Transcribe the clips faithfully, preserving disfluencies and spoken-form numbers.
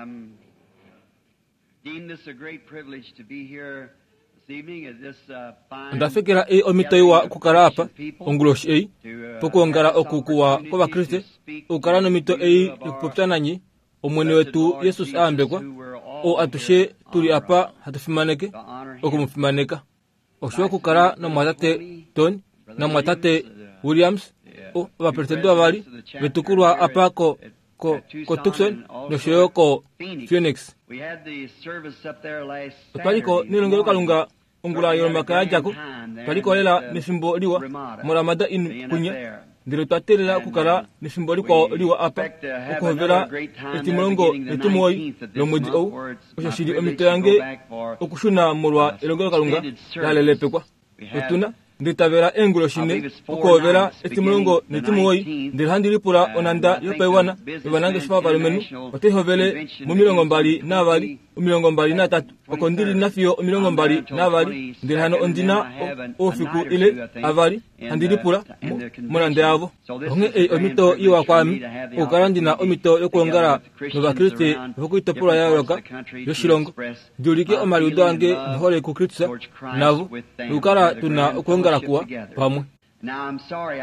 I'm deem this a great privilege to be here this evening at this uh, fine Ondafekela ei omhito iwa okukala apa onguloshi ei to, uh, pokwoongala have this oku kuwa opportunity kwOvakriste to speak okukala nomhito to ei you of our yokupopya nanye Omwene blessed wetu Lord Jesus Jesus, aambekwa who we're all oo atushe here tuli honor apa of, hatu fimaneke to honor him. okumufimaneka. Oshiwa okukala namwatate Tony namwatate Williams o ovapresidente vavali vetukulwa apa ko ko ko Tucson nosho yo ko Phoenix. We had the service up there last Otwaliko Saturday nelongelokalunga morning. ongula yolomakaya yadjako twaliko lela nefimbo liwa moRamada Inn kunya ndele otwa teelela okukala nefimbo likwao liwa apa okuhovela etimulongo netimuwoi lomwedi ou osho shili omhito yange okushuna molwa elongelokalunga la lelepekwa. Otuna nditavela eenguloshi nhee okuhovela etimulongo netimuwoi ndele handi lipula onhanda yopaiwana yovanangeshefa vovalumenhu otai hovele momilongo mbali navali omilongo mbali natatu oko ndili nafiyo omilongo mbali navali ndele hano ondina oufiku ile avali handi lipula monhanda yavo. Onghee ei omhito iwa kwaame okukala ndina omhito yokwoongala nOvakriste vokoitopolwa ya yooloka yoshilongo ndi ulike omaliudo ange nohole kuKristus navo nokukala tuna okwoongala kuwa pamwe.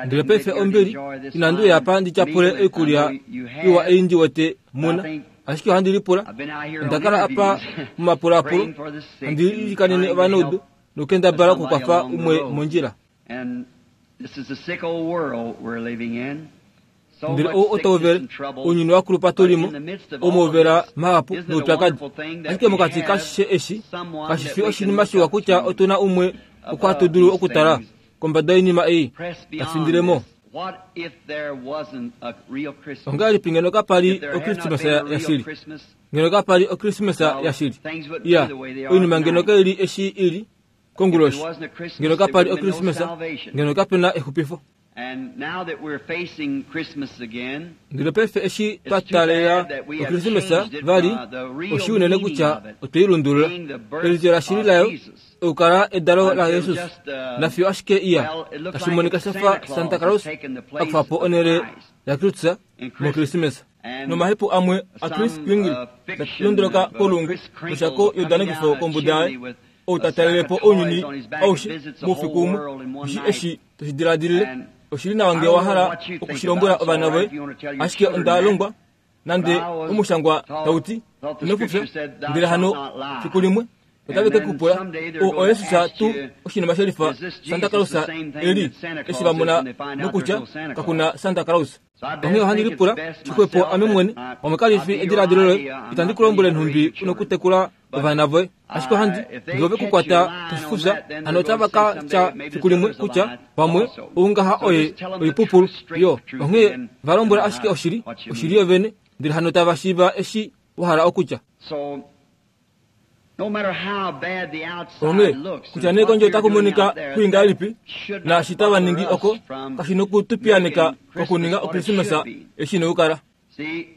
Ndele paife ombili inandi uya apa ndi tyapule oikulya iwa ei ndi wete muna ashike ohandi lipula onda kala apa momapulaapulo handi ilikanene ovanaudu nokukendabala okukwafa umwe mondjila. And this is a sick old world we're living in. So Ndele much ou otauvele sickness and trouble. ounyuni wakulupa tulimo But in the midst of all omouvela this, mahapu isn't it a noupyakadi. wonderful thing that Ashike we mokati have kashishe eshi someone kashi that fi we can oshinima look shiwa up kutya to otuna umwe oko hatu above dulu these okutala things? kombada yoinima ei Press ta beyond findilemo. this. What if there wasn't a real Christmas? Ongahelipi ngeno kapali If there had not Okristimesa been a real yashili? Christmas, Ngeno kapali Okristimesa well, yashili? things wouldn't be Iya, the way they are oinima ngeno tonight. kaili eshi ili If konguloshi. there wasn't a Christmas, Ngeno there kapali would have been no Okristimesa, salvation. ngeno kapena exupifo. And now that we're facing Christmas again, Ndele paife eshi it's twa too taalela bad that we have Okristimesa changed it vali from uh, the real oshi unene meaning kutya of it, otwei lundulula. being the birth Elityo lashili of layo Jesus, okukala edalo la until Jesus just, uh, nafiyo ashike iya well, it looks tashi like monika Santa shafa Claus Santa has Claus taken the place akufapo of onhele Christ yaKristus in Christmas. mOkristimesa. And Nomahepu amwe a Chris some Kringle uh, fiction talondoloka of uh, kolungu Chris noshako Kringle coming yodanekifo down a kombuda yaye chimney with ou a ta sack talelepo of toys ounyuni on his back and aushe visits the moufiku whole umwe world in one ushi night. eshi toshidiladilile And oshili nawa I ngee don't wa know hala what you think okushilombwela about. It's ovana all right voye if you want to tell your ashike children onda that. longwa But nande I was omushangwa taught, tauti thought the ino fufya scripture said, Thou ndele shalt hano not lie. fiku limwe otave And ke then kupula someday they're o going to oyesus ask tuu you, oshinima shelifa Is this Santa Jesus Claus the same thing eli that Santa eshi Claus va is mona when they find out nokutya there's no Santa Claus? kakuna Santa Claus. So I Onghee best ohandi think it's lipula best xixwepo myself ame that mwene I, pamwe kali I'll fi be your ediladilo loye idea. I'm itandi not ku lombwele telling you how to nhumbi raise your una children. okutekula But ovana voye ashike ohandi uh, if they ngee ove catch you kukwata lying on toshifufya that, then hano they're going otava to ka say someday tya that maybe fiku this limwe other's a kutya lie pamwe also. oungaha So oye just tell them the oipupulu truth, straight yo truth, onghee and then va they'll lombwela know ashike how, oshili what you oshili mean. yovene ndele hano tava shiiva eshi wa hala okutya. So no matter how bad the outside Onghee looks kutya and nee what kondje they're otaku doing monika out there, kuli that ngahelipi should not naashi tava bother ningi us oko from kashi nokutupiyaneka making Christmas kokuninga what it Okristimesa should be. eshi inokukala. See,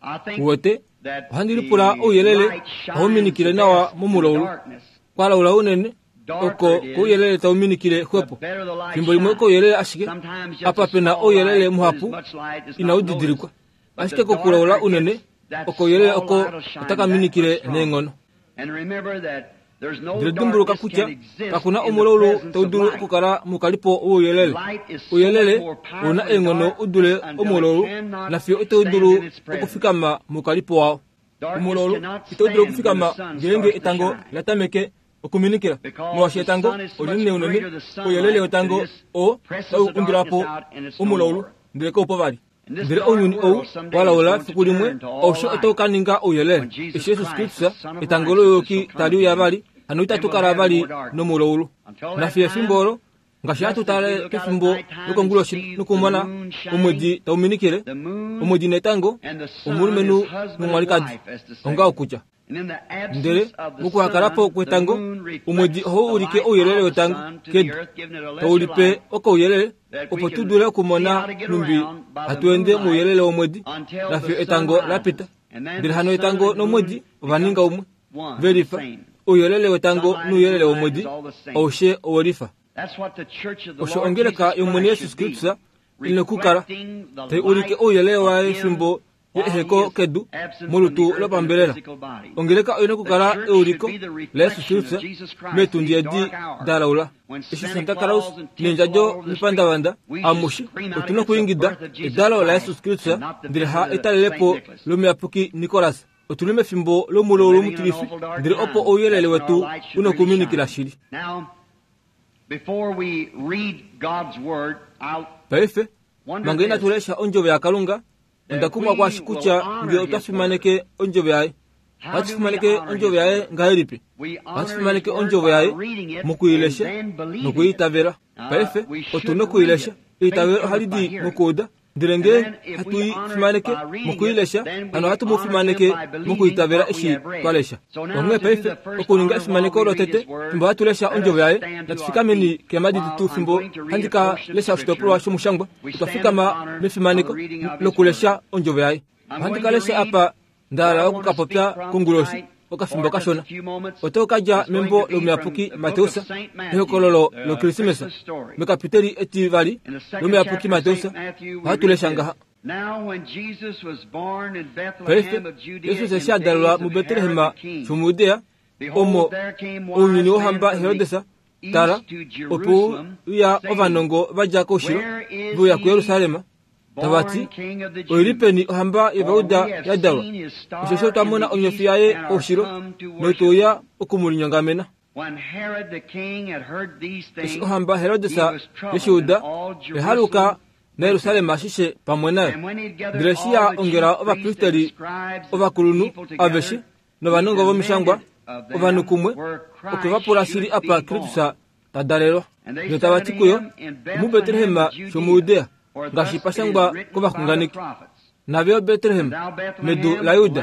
I think Uwete that ohandi lipula the ouyelele light ohau shines minikile the nawa best in the momulaulu darkness. kwalaula unene Darker oko it is, kouyelele tau minikile the xwepo. better the light Fimbo limwe shines. kouyelele ashike Sometimes just apa a pena small ouyelele light, but as muhapu much light is inau not noticed. didilikwa. But Ashike the kokulaula darker it unene gets, that oko ouyelele small oko light will shine otaka that much minikile stronger. neenghono. And remember that there's no Ndele dimbuluka darkness kutya can exist kakuna in the omulaulu presence tau of dulu light. okukala mukalipo wouyelele. Light is so much Ouyelele more ouna powerful than eenghono u dule darkness until it omulaulu cannot nafiyo itau stand dulu in its presence. okufikama mukalipo wao. Darkness Omulaulu cannot itau dulu stand when the okufikama sun ngeenge starts to etango shine. la tameke okuminikila Because molwaashi the etango sun is so olinene much unene greater, the ouyelele sunlight, that wetango it just oo presses tau the darkness undulapo out and it's no omulaulu more. ndele kaupo vali. And this Ndele dark ounyuni ou world someday is walaula going to fiku limwe turn to all aushe otau light. ka ninga ouyelele When Jesus eshi Jesus Christ, the Kristus Son of etango Righteousness, louyuki shall come tali uya again, vali hano then itatu we'll kala have no vali more darkness. nomulaulu. Until that Nafiyo time, efimbo olo ngaashi hatu just as we tale look out at kefimbo nighttime and lokonguloshi see the nokumona moon shining, omwedi tau minikile the moon omwedi netango and the sun omulumenhu is husband and nomwalikadi wife, as to say. onga okutya. And in the Ndele absence of the mokuhakalapo sun, the kwetango moon reflects omwedi ohau the ulike light ouyelele of the wetango sun to the kedu earth, giving it a tau lesser lipe light okouyelele that we opo tu can dule see okumona how to get nhumbi around by the hatu ende moonlight mouyelele womwedi until the nafiyo sun etango la rises. pita. And then Ndele the hano sun etango and the nomwedi moon ova ninga become umwe one, ve the lifa same. ouyelele wetango Sunlight and nouyelele moonlight womwedi is all the same. aushe owelifa. That's what the church of the Osho Lord ongeleka Jesus yOmwene Christ Jesus should be, Kristus ina okukala reflecting the tai ulike light ouyelele of waye Him fimbo yeeheko kedu molutu lopambelela. Ongeleka oina okukala euliko laYesus Kristus meetundi edi da laula. Eshi Santa Claus neendjadjo mepandavanda amushe otuna okuingida edalo laYesus Kristus ndele ha etalelepo lomuyapuki Nicholas. Otuli mefimbo lomulo lomutilifi ndele opo ouyelele wetu una okuminikila shili. Paife manga inatu lesha ondjovo yaKalunga, onda kumwa kwashi kutya ngee otwa fimaneke ondjovo yaye. Ohatu fimaneke ondjovo yaye ngahelipi? Ohatu fimaneke ondjovo yaye mokuilesha nokuiitavela. Paife otuna okuilesha. Eitavelo ohali di mokuuda, ndele ngee hatu i fimaneke mokuilesha, hano ohatu mu fimaneke mokuitavela eshi twa lesha. Onghee paife okuninga efimaneko lotete fimbo hatu lesha ondjovo yaye, natu fikameni keemhadi detu fimbo handi ka lesha oshitopolwa shomushangwa. Otwa fikama mefimaneko lokulesha ondjovo yaye. Ohandi ka lesha apa nda hala okukapopya konguloshi okafimbo kashona. Oto kadja membo lomuyapuki Mateus, ehokololo loKrismesa, mekapiteli etivali lomuyapuki Mateus, ohatu lesha ngaha. Paife Jesus eshi a dalelwa muBetlehem shomuJudea, omo ounyuni wohamba Herodes, tala, opo uya ovanongo vadja koushilo ve uya kuJerusalem, tava ti, oili peni ohamba yOvayuda ya dalwa? Osheshi otwa mona onyofi yaye koushilo notwe uya okumulinyongamena. Eshi ohamba Herodes yeshiuda, oya naJerusalem ashishe pamwe nayo. Ndele eshi ya ongela ovapristeli ovakulunhu aveshe novanongo vomishangwa ovanhu kumwe, okwe va pula shili apa Kristus ta dalelwa. Ndele tava ti kuyo, omuBetlehem shomuJudea, ngaashi pashangwa kovaxunganeki. Nave Betlehem medu laJuda,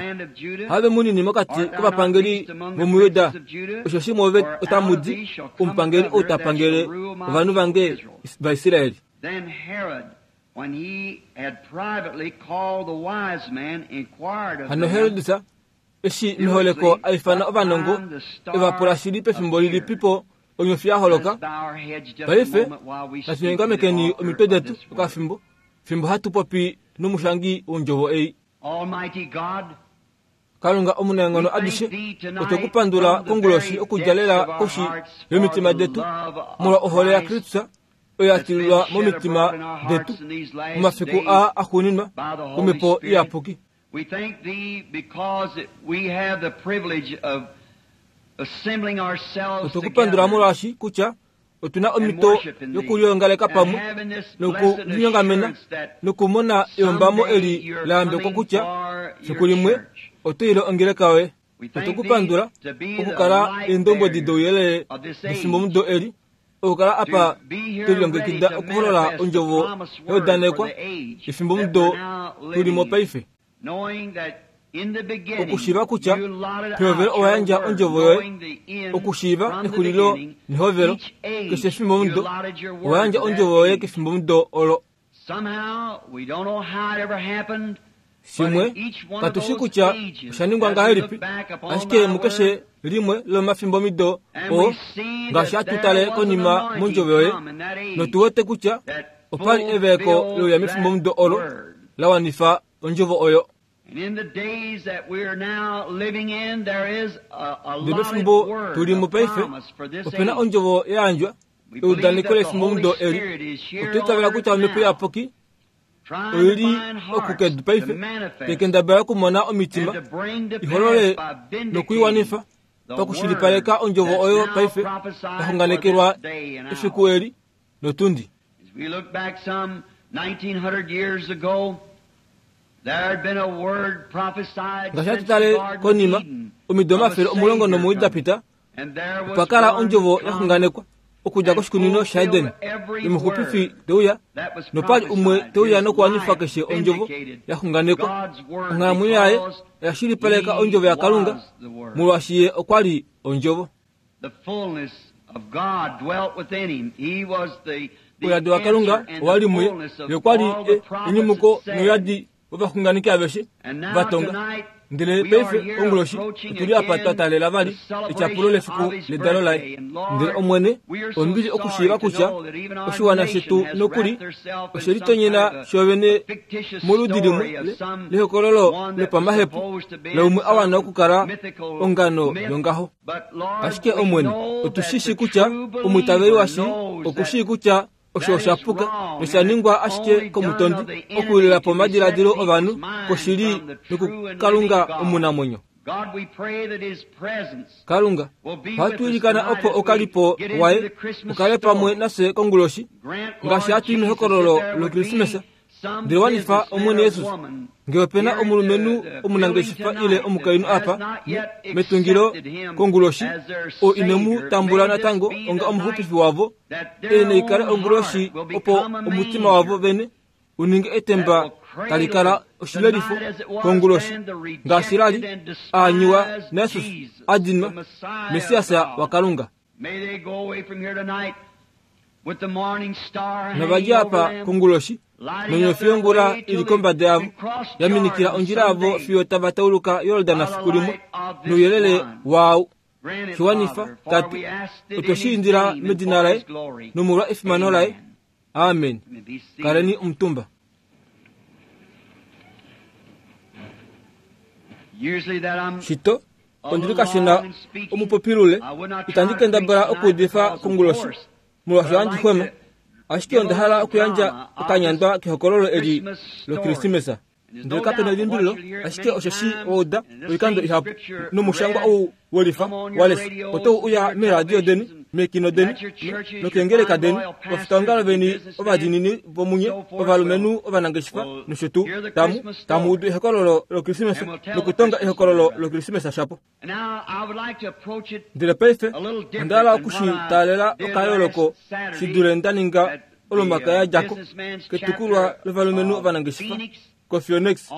have munini mokati kovapangeli vomuJuda, osheshi mwoove otamu di omupangeli ou ta pangele ovanhu vange vaIsraeli. Hano Herodes eshi meholeko a ifana ovanongo e va pula shili pefimbo lilipipo onyofi ya holoka. Paife natu nyongamekeni omitwe detu okafimbo fimbo hatu popi nomushangi wondjovo ei. Kalunga omunaenghono adishe, otwe ku pandula konguloshi okudja lela koshi yomitima detu molwa ohole yaKristus oyo ya tililwa momitima detu momafiku aa axuuninwa komhepo iyapuki. Otwe ku pandula molwaashi kutya otuna omhito yokuliongaleka pamwe nokulinyongamena nokumona eyombamo eli la yambekwa kutya fiku limwe oto ile ongeleka yoye. Otwe ku pandula okukala eendombwedi douyelele defimbomudo eli, okukala apa twelilongekida okuholola ondjovo yaudanekwa efimbomudo tulimo paife. Okushiiva kutya pehovelo owa yandja ondjovo yoye, okushiiva exulilo nehovelo keshe efimbomudo owa yandja ondjovo yoye kefimbomudo olo. Shimwe katushi kutya osha ningwa ngahelipi, ashike mukeshe limwe lomafimbomido oo ngaashi hatu tale konima mondjovo yoye, notu wete kutya opali eveeko louya mefimbomudo olo la wanifa ondjovo oyo. Ndele mefimbo tulimo paife opena ondjovo ya yandjwa eudaneko lefimbomudo eli. Otwa itavela kutya omhepo iyapuki oili okukedu paife tekendabala okumona omitima iholole nokuiwanifa pakushilipaleka ondjovo oyo paife yaxunganekelwa efiku eli notundi. Ngaashi hatu tale konima omido omafele omulongo nomuwoi da pita, opa kala ondjovo yaxunganekwa okudja koshikunino shaEden yomuxupifi teuya, nopali umwe teuya nokuwanifa keshe ondjovo yaxunganekwa. Onghalamwenyo yaye oya shilipaleka ondjovo yaKalunga molwaashi ye okwa li ondjovo. Ouyadi waKalunga owa li muye, ye okwa li enyumuko nouyadi vovaxunganeki aveshe vatonga. Ndele paife onguloshi otuli apa twa taalela vali etyapulo lefiku ledalo laye. Ndele Omwene, ombili okushiiva kutya oshiwana shetu nokuli oshelitonyena shovene moludi limwe lehokololo lopamahepu laumwe a wana okukala ongano yongaho. Ashike Omwene, otu shi shi kutya omwiitaveli washili oku shii kutya osho osha puka nosha ningwa ashike komutondi okuwilila po omadiladilo ovanhu koshili nokukalunga omunamwenyo. Kalunga, ohatu ilikana opo okalipo waye ukale pamwe nafye konguloshi ngaashi hatu i mehokololo lokrismesa. Ndele wanifa Omwene Jesus, ngee opena omulumenhu omunangeshefa ile omukainhu apa metungilo konguloshi oo ine mu tambula natango onga omuxupifi wavo, ei naikale onguloshi opo omutima wavo vene uninge etemba tali kala oshilelifo konguloshi ngaashi lali aanyiwa naJesus adinwa Messias waKalunga. Novadja apa konguloshi nonyofi yongula ili kombada yavo yaminikila ondjila yavo fiyo tava tauluka Yordan fiku limwe nouyelele waau. Shiwanifa Tate, otwe shi indila medina laye nomolwa efimano laye. Amen. Kaleni omutumba. Shito ondili kashina omupopilule itandi kendabala okuudifa konguloshi molwaashi ohandi xwema, ashike onda hala okuyandja okanyandwa kehokololo eli lokrismesa. Ndele kapena elimbililo, ashike osho shi wauda oikando ihapu nomushangwa ou welifa walesha otou uya meeradio deni, meekino deni nokeengeleka deni, ovafitaongalo veni ovadiinini vomunye, ovalumenhu ovanangeshefa nosho tuu, tamu tamu udu ehokololo lokrismesa nokutonga ehokololo lokrismesa shapo. Ndele paife onda hala okushi taalela okayooloko shi dule nda ninga olomaka yadjako ketukulwa lovalumenhu ovanangeshefa koPhoenix,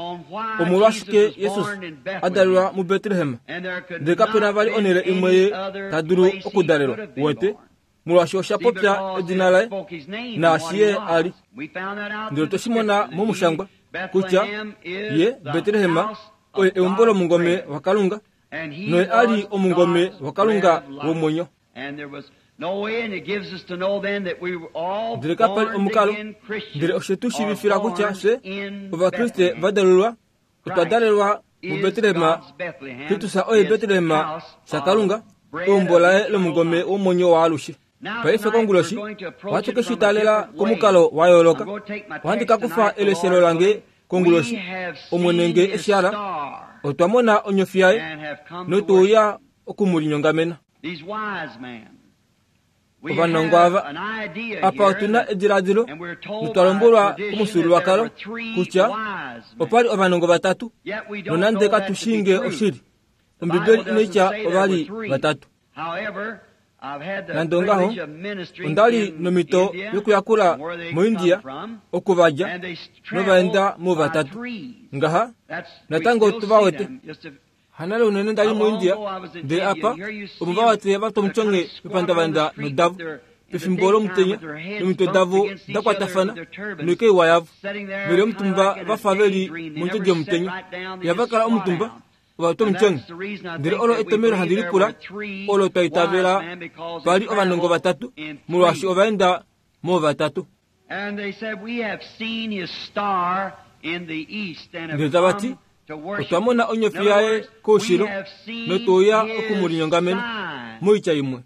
omolwashike Jesus a dalelwa muBetlehem, ndele kapena vali onhele imwe ye ta dulu okudalelwa, wete, molwaashi osha popya edina laye naashi ye a li. Ndele otwe shi mona momushangwa kutya ye Betlehem oye eumbo lomungome waKalunga, noye a li omungome waKalunga womwenyo. Ndele kapali omukalo, ndele oshe tu shiivifila kutya fye Ovakriste va dalelwa otwa dalelwa muBetlehem. Kristus oye Betlehem shaKalunga, eumbo laye lomungome womwenyo waalushe. Paife konguloshi ohatu ke shi taalela komukalo wa yooloka. Ohandi ka kufa eleshelo lange konguloshi, Omwene nge eshi hala, otwa mona onyofi yaye notuuya okumulinyongamena. Ovanongo ava apa otuna ediladilo notwa lombwelwa komufyuululwakalo kutya opali ovanongo vatatu, nonande katu shii ngee oshili. Ombibeli inaitya ovali vatatu. Nande ongaho, onda li nomhito yokuyakula moIndia okuvadja novaenda muvatatu. Ngaha natango tuva wete. Hanale unene ndali moIndia, ndele apa omo va wete vatwa mepandavanda nodavo pefimbo lomutenya nomitwe davo da kwatafana noikeiwa yavo veli omutumba vafa veli mondjodi yomutenya. Ihava kala omutumba ovatwa omutyonge. Ndele olo etomelo handi lipula olo twa itavela pali ovanongo vatatu, molwaashi ovaenda moovatatu. Ndele tava ti, otwa mona onyofi yaye koushilo notuuya okumulinyongamena. Moitya imwe,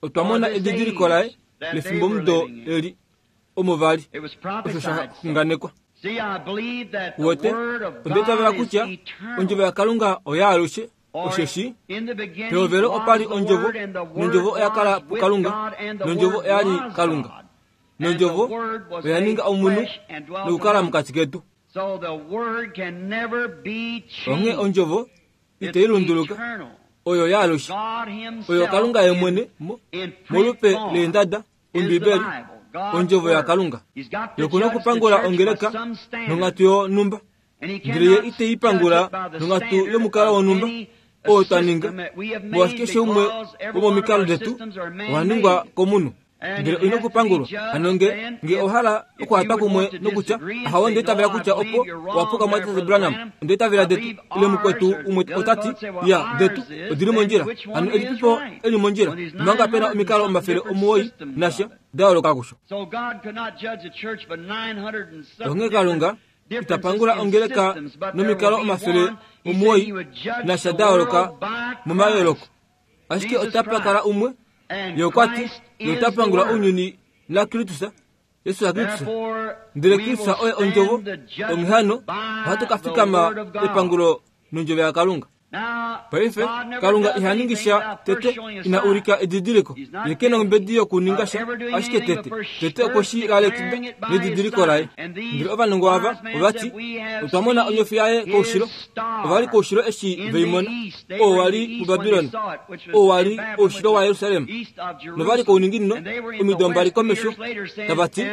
otwa mona edidiliko laye lefimbomudo eli omo vali osho sha xunganekwa. Wete, onda itavela kutya ondjovo yaKalunga oyaalushe, osheshi pehovelo opali ondjovo, nondjovo oya kala puKalunga, nondjovo oyali Kalunga, nondjovo oya ninga omunhu nokukala mokati ketu. Onghee ondjovo itai lunduluka, oyo yaalushe, oyo Kalunga ye mwene molupe leendada, Ombibeli, ondjovo yaKalunga. Yokuna okupangula ongeleka nonghatu yonhumba, ndele ye itei pangula nonghatu yomukalo wonhumba oo twa ninga, molwaashi keshe umwe womomikalo detu owa ningwa komunhu. Ndele oina okupangulwa. Hano nge nge ohala okuhatwa kumwe nokutya ahawo ndeitavela kutya opo owapuka mwatate Branham, ndeitavela detu ile mukwetu umwe otati ya detu odili mondjila. Hano elipipo eli mondjila manga pena omikalo omafele omuwoi nasha dayooloka kusho. Onghee Kalunga itapangula ongeleka nomikalo omafele omuwoi nasha dayooloka momayooloko, ashike otapa kala umwe ye okwati ye otapangula ounyuni naKristus, Jesus Kristus. Ndele Kristus oye ondjovo. Onghee hano ohatu ka fikama epangulo nondjovo yaKalunga. Paife Kalunga iha ningi sha tete ina ulika edidiliko. Ye ke na ombedi yokuninga sha, ashike tete tete okwe shi lalekida nedidiliko laye. Ndele ovanongo ava ovati otwa mona onyofi yaye koushilo. Ova li koushilo eshi veimona, oo wali muBabilon, oo wali oushilo waJerusalem, nova li kouninginino omido mbali komesho, tava ti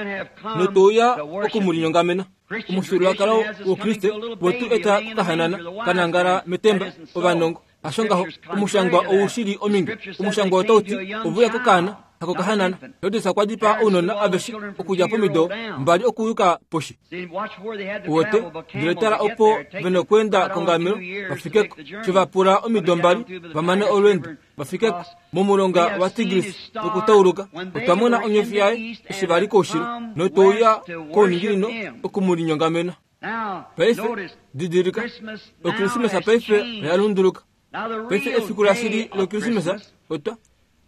notouya okumulinyongamena. Omufyuululwakalo wOukriste wetu eta kokahanana kanangala metemba ovanongo. Hasho ngaho, omushangwa oushili ominge. Omushangwa otauti ovuya kokaana hako kahanana. Herodes okwa dipaa ounona aveshe okudja pomido mbali okuyuka poshi. Uwete, ndele tala opo vena okweenda kongamelo vafikeko. Sho vapula omido mbali vamane olweendo vafikeko momulonga waTigris nokutauluka. Otwa mona onyofi yaye eshi vali koushilo notouya kouninginino okumulinyongamena. Paife didilika, Okrismesa paife oya lunduluka. Paife efiku lashili lOkrismesa otwa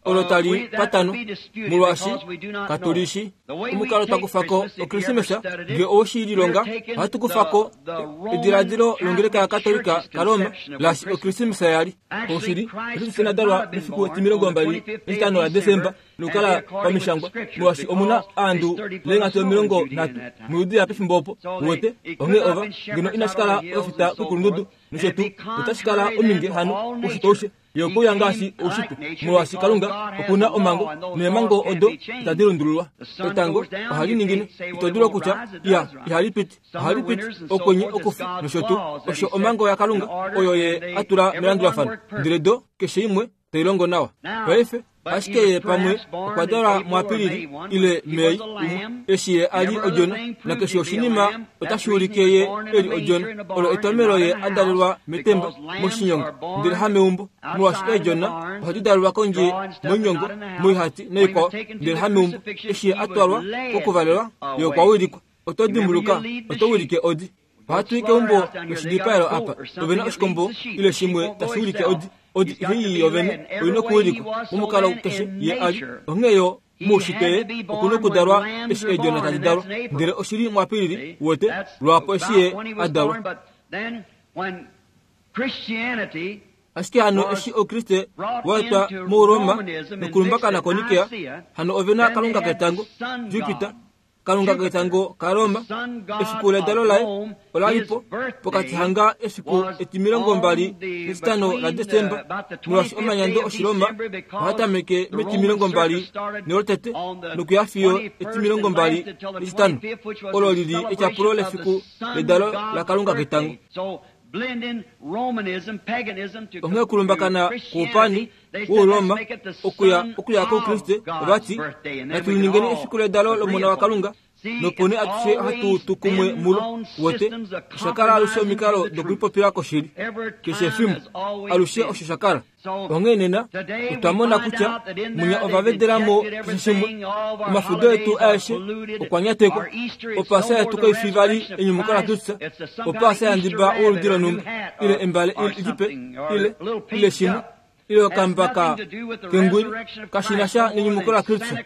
olo tali patano, molwaashi katulishi omukalo twakufako Okrismesa. Nge owoshililonga ohatu kufako ediladilo longeleka yaKatolika kaRoma laashi Okrismesa yali. Oushili Kristus inadalwa mefiku etimilongo mbali netitano laDesemba nokukala pamishangwa, molwaashi omuna aandu leenghatu omilongo nhatu muJudea pefimbo opo. Uwete, onghee ova ngeno inashi kala ofita kokulundudu nosho tuu, otashi kala ominge hano oushitwe aushe. Ye okouya ngaashi oushitwe, molwaashi Kalunga okuna omhango, neemhango odo itadi lundululwa. Etango ohali ningine, ito dulu okutya iya ihali piti, ohali piti, okwenye okufi nosho tuu. Osho omhango yaKalunga oyo ye atula melandulafano, ndele do keshe imwe tai longo nawa. Paife ashike ye pamwe okwa dalwa muApilili ile Mei umwe, eshi ye ali odjona, nakeshe oshinima otashi ulike ye eli odjona. Olo etomelo ye adalelwa metemba moshinyongo, ndele hameumbo, molwaashi eedjona ohadi dalelwa kondje moinyongo, moihati naikwao, ndele hameumbo. Eshi ye atwalwa kokuvalelwa, ye okwa wilikwa. Oto dimbuluka, oto wilike odi. Ohatu i keumbo loshidipaelo apa, ovena oshikombo ile shimwe tashi wilike odi. Odi ihai yovene oina okuwilikwa momukalo keshe ye ali. Onghee yo moushitwe ye okuna okudalwa eshi eedjona tadi dalwa, ndele oshili muApilili wote lwaapo eshi ye adalwa. Ashike hano eshi Oukriste waetwa muRoma nokulumbakana koNikea, hano ovena kalunga ketango Jupiter, kalunga ketango kaRoma. Efiku ledalo laye olalipo pokati hanga efiku etimilongo mbali netitano laDesemba, molwaashi omanyando Oshiroma ohatameke metimilongo mbali nelotete nokuya fiyo etimilongo mbali netitano, olo lili etyapulo lefiku ledalo lakalunga ketango. Onghee okulumbakana kwoupani wOuroma okuya okuya kOukriste ovati natu liningeni efiku ledalo lOmona waKalunga, nopo nee atushe ohatu tu kumwe mulo. Wote osha kala alushe omikalo dokulipopila koshili keshe efimbo, alushe osho sha kala. Onghee nena otwa mona kutya munya ova vedelamo keshe shimwe. Omafudo etu aeshe okwa nyatekwa. Opaasa yetu kaifi vali enyumuko laKristus, opaasa yandiba woludi lonhumba ile embale lipe ile ile shimwe ile okambaka kengwili, kashi na sha nenyumuko laKristus,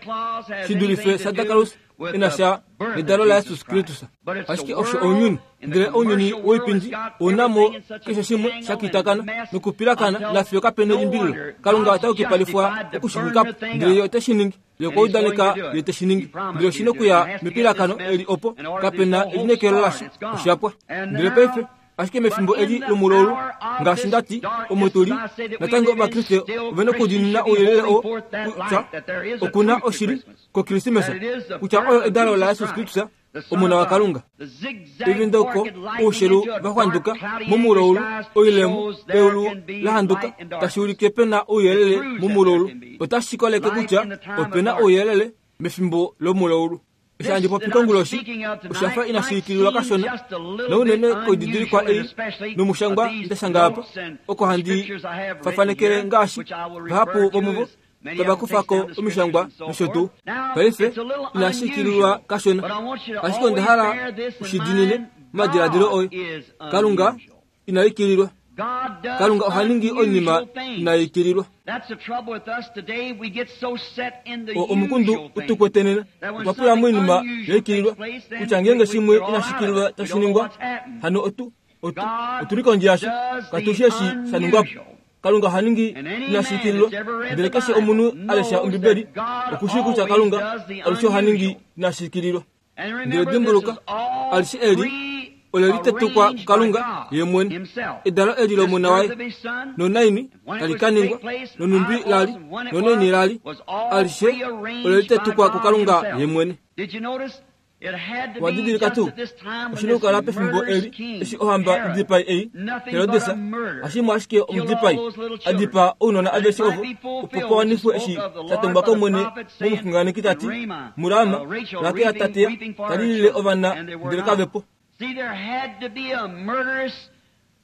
shi dulife Santa Claus ina sha nedalo laJesus Kristus. Ashike osho ounyuni, ndele ounyuni woipindi ounamo keshe shimwe sha kitakana nokupilakana nafiyo kapena elimbililo. Kalunga ota yukipalifwa okushinyikapo, ndele ye ote shi ningi. Ye okwa udaneka ye te shi ningi, ndele oshi nokuya mepilakano eli opo kapena elineekelo lasho, oshapwa. Ndele paife ashike mefimbo eli lomulaulu, ngaashi ndati omo tuli natango Ovakriste ovena okudiinina ouyelele oo kutya okuna oshili kOkrismesa, kutya oyo edalo laJesus Kristus, Omona waKalunga. Evindoko oushelu vaxwanduka momulaulu, oilemo eulu lahanduka tashi ulike pena ouyelele momulaulu, otashi koleke kutya opena ouyelele mefimbo lomulaulu. Eshi handi popi konguloshi oshafa inashi ikililwa kashona nounene koididilikwa ei nomushangwa ndashanga apa oko handi fafanekele ngaashi vahapu vomuvo tava kufako omishangwa nosho tuu. Paife inashi ikililwa kashona, ashike onda hala ushidinine momadiladilo oye. Kalunga ina ikililwa. Kalunga oha ningi oinima ina ikililwa. Omukundu utukwetenena otwa pula moinima yaikililwa kutya ngeenge shimwe inashi ikililwa tashi ningwa hano otu otu otuli kondje yasho katushi eshi sha ningwapo. Kalunga oha ningi inashi ikililwa, ndele keshe omunhu a lesha Ombibeli okushii kutya Kalunga alushe oha ningi inashi ikililwa. Ndele dimbuluka, alishe eli ole litetukwa kuKalunga ye mwene. Edalo eli lomona waye nonaini tali ka ningwa nonumbi lali nonaini lali alishe ole litetukwa kuKalunga ye mwene. Wadidilika tuu oshina okukala pefimbo eli eshi ohamba idipai ei Herodes ashimwe ashike omudipai adipaa ounona aveshe ovo opo pawanifwe eshi sha tongwa kOmwene momuxunganeki tati muRama Rakel tateya talilile ovana ndele kavepo.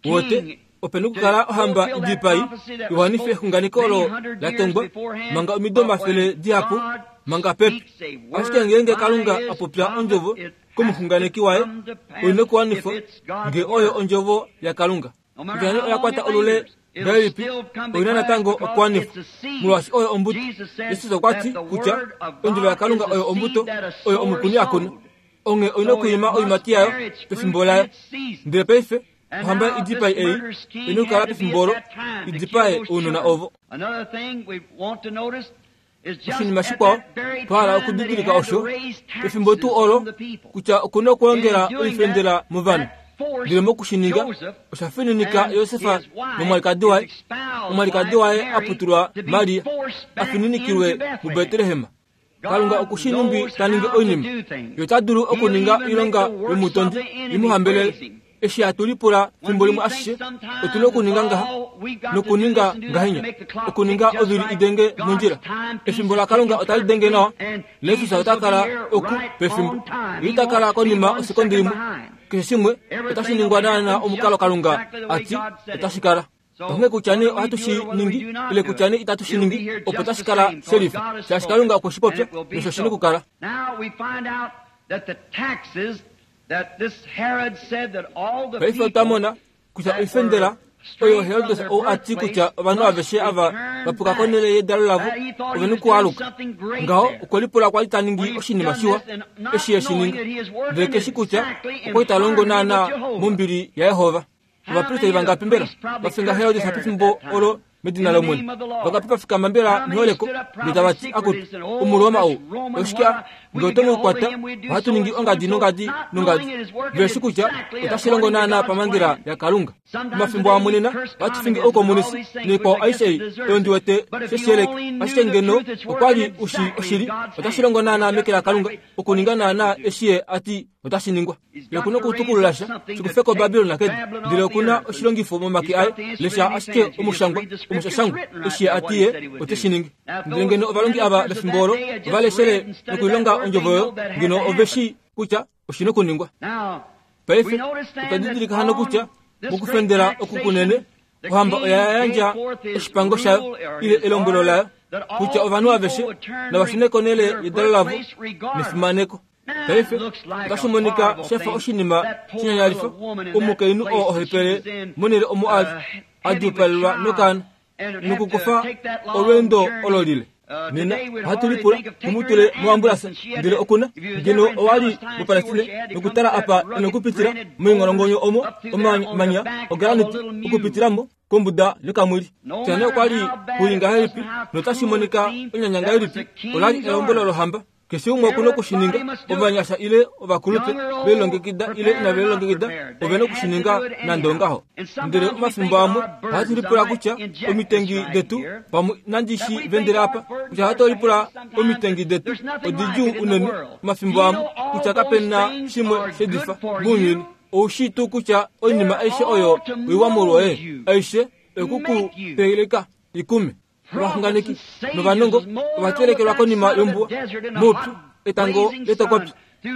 Wote opena okukala ohamba idipai iwanife exunganeko olo la tongwa manga omido omafele dihapu manga pepi. Ashike ngeenge Kalunga a popya ondjovo komuxunganeki waye oina okuwanifwa nge oyo ondjovo yaKalunga. Kutya nee oya kwata olule ngahelipi oina natango okuwanifwa molwaashi oyo ombuto. Jesus okwa ti kutya ondjovo yaKalunga oyo ombuto oyo omukuni a kuna. Onghee oina okwiima oiimati yayo pefimbo layo. Ndele paife ohamba idipai ei oina okukala pefimbo olo idipae ounona ovo. Oshinima shikwao twa hala okudidilika osho pefimbo tuu olo kutya okuna okulongela oifendela movanhu. Ndele mokushininga osha fininika Josefa nomwalikadi waye, omwalikadi waye a putulwa Maria, a fininikilwe muBetlehem. Kalunga okushi nhumbi ta ningi oinima. Ye ota dulu okuninga oilonga yomutondi imuhambelele. Eshi hatu lipula fimbo limwe ashishe otuna okuninga ngaha nokuninga ngahenya, okuninga ovili idenge mondjila. Efimbo laKalunga otali denge nawa. Jesus ota kala oku pefimbo. Ye ita kala konima osekonde imwe. Keshe shimwe otashi ningwa naana omukalo Kalunga ati otashi kala. Onghee kutya nee ohatu shi ningi ile kutya nee itatu shi ningi, opo tashi kala shelifa, shaashi Kalunga okwe shi popya nosho shina okukala. Paife otwa mona kutya oifendela oyo Herodes ou a ti kutya ovanhu aveshe ava va puka konhele yedalo lavo ovena okualuka. Ngaho okwe lipula kwali ta ningi oshinima shiwa eshi e shi ninga, ndele keshi kutya okwali ta longo naana mombili yaYehova. Ovapristeli vangapi mbela va finga Herodes pefimbo olo medina lOmwene? Vangapi va fikama mbela meholeko ndele tava ti akutu Omuroma ou oshike nge oto mu kwata ohatu ningi ongadi nongadi nongadi. Veshi kutya otashi longo naana pamhangela yaKalunga. Omafimbo amwe nena ohatu fingi oukomunisi noikwao aishe ei oyo ndi wete sheshiyeleke, ashike ngeno okwali ushi oshili otashi longo naana meke laKalunga okuninga naana eshi ye ati otashi ningwa. Ye okuna okutukulula sha shikufe koBabilon kedu, ndele okuna oshilongifo momake aye. Lesha ashike omushangwa omushashangwa eshi ye ati ye oteshi ningi. Ndele ngeno ovalongi ava vefimbo olo ova leshele nokuilonga ondjovo oyo, ngeno oveshi kutya oshina okuningwa. Paife otwa didilika hano kutya mokufendela oku kunene ohamba oya yandja oshipango shayo ile elombwelo layo kutya ovanhu aveshe nava shune konhele yedalo lavo nefimaneko. Paife otashi monika shafa oshinima shinyanyalifa omukainhu oo ohepele monhele omo ali a djuupalelwa nokaana nokukufa olweendo olo lile. Nena ohatu lipula tumutule moambulasa, ndele okuna ngeno owali muPalestine nokutala apa enokupitila moingolongonyo omo omamanya ograniti okupitilamo kombuda yokamwili. Kutya nee okwali kuli ngahelipi notashi monika onyanya ngahelipi, olali elombwelo lohamba. Keshe umwe okuna okushininga, ovanyasha ile ovakulupe, velilongekida ile inave lilongekida, ovena okushininga nande ongaho. Ndele omafimbo amwe ohatu lipula kutya omitengi detu, pamwe nandi shi vendele apa, kutya ohatu lipula omitengi detu odidjuu unene omafimbo amwe kutya kapena shimwe shedifa mounyuni. Oushi tuu kutya oinima aishe oyo oiwa molwoye, aishe okukupeleka ikume. Ovaxunganeki novanongo ovatelekelwa konima yombuwa moupyu etango letokopyu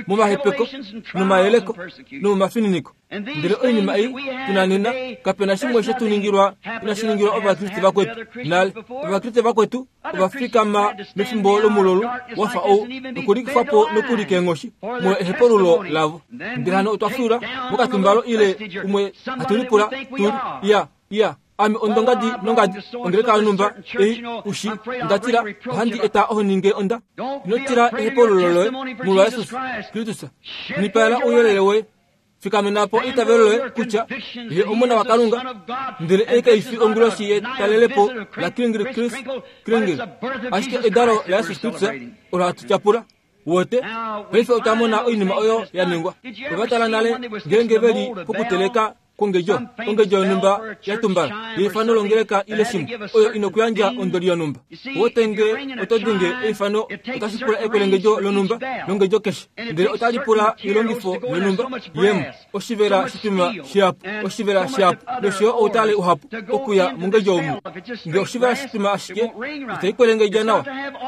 momahepeko nomayeleko nomomafininiko. Ndele oinima ei tuna nena kapena shimwe shetuningilwa inashiningilwa ovakriste vakwetu nale. Ovakriste vakwetu ovafikama mefimbo lomululu wafa ou nokulikufwapo nokuli keenghoshi molwa ehepululo lavo. Ndele hano otwa fyuula mokatumbalo ile umwe hatulipula tuli ya ya ame ondongadi nongadi ongeleka yonumba ei ushi ndatila ohandi eta ohoninge onda. Ino tila ehepululo loye molwa Jesus Kristus. Nipaela ouyelele woye. Fikamenapo eitavelo loye kutya ye omona waKalunga, ndele ei kaifi onguloshi yetalelepo la Kringil Chris Kringil, ashike edalo la Jesus Kristus olo hatu tyapula. Wote paife otwa mona oinima oyo ya ningwa. Ovatala nale ngeenge veli pokuteleka kongejo ongejo yonumba ya tumbala yeifano longeleka ile shimwe oyo inokuyandja ondoli yonumba. Wotenge otodinge eifano otashi pula ekwelengejo lonumba longejo keshe, ndele otali pula ilongifo yonumba yemo oshivela shituma shihapu oshivela shihapu noshoyo outale uhapu okuya mongejo omu. Nge oshivela shituma ashike itai kwelengedja nawa,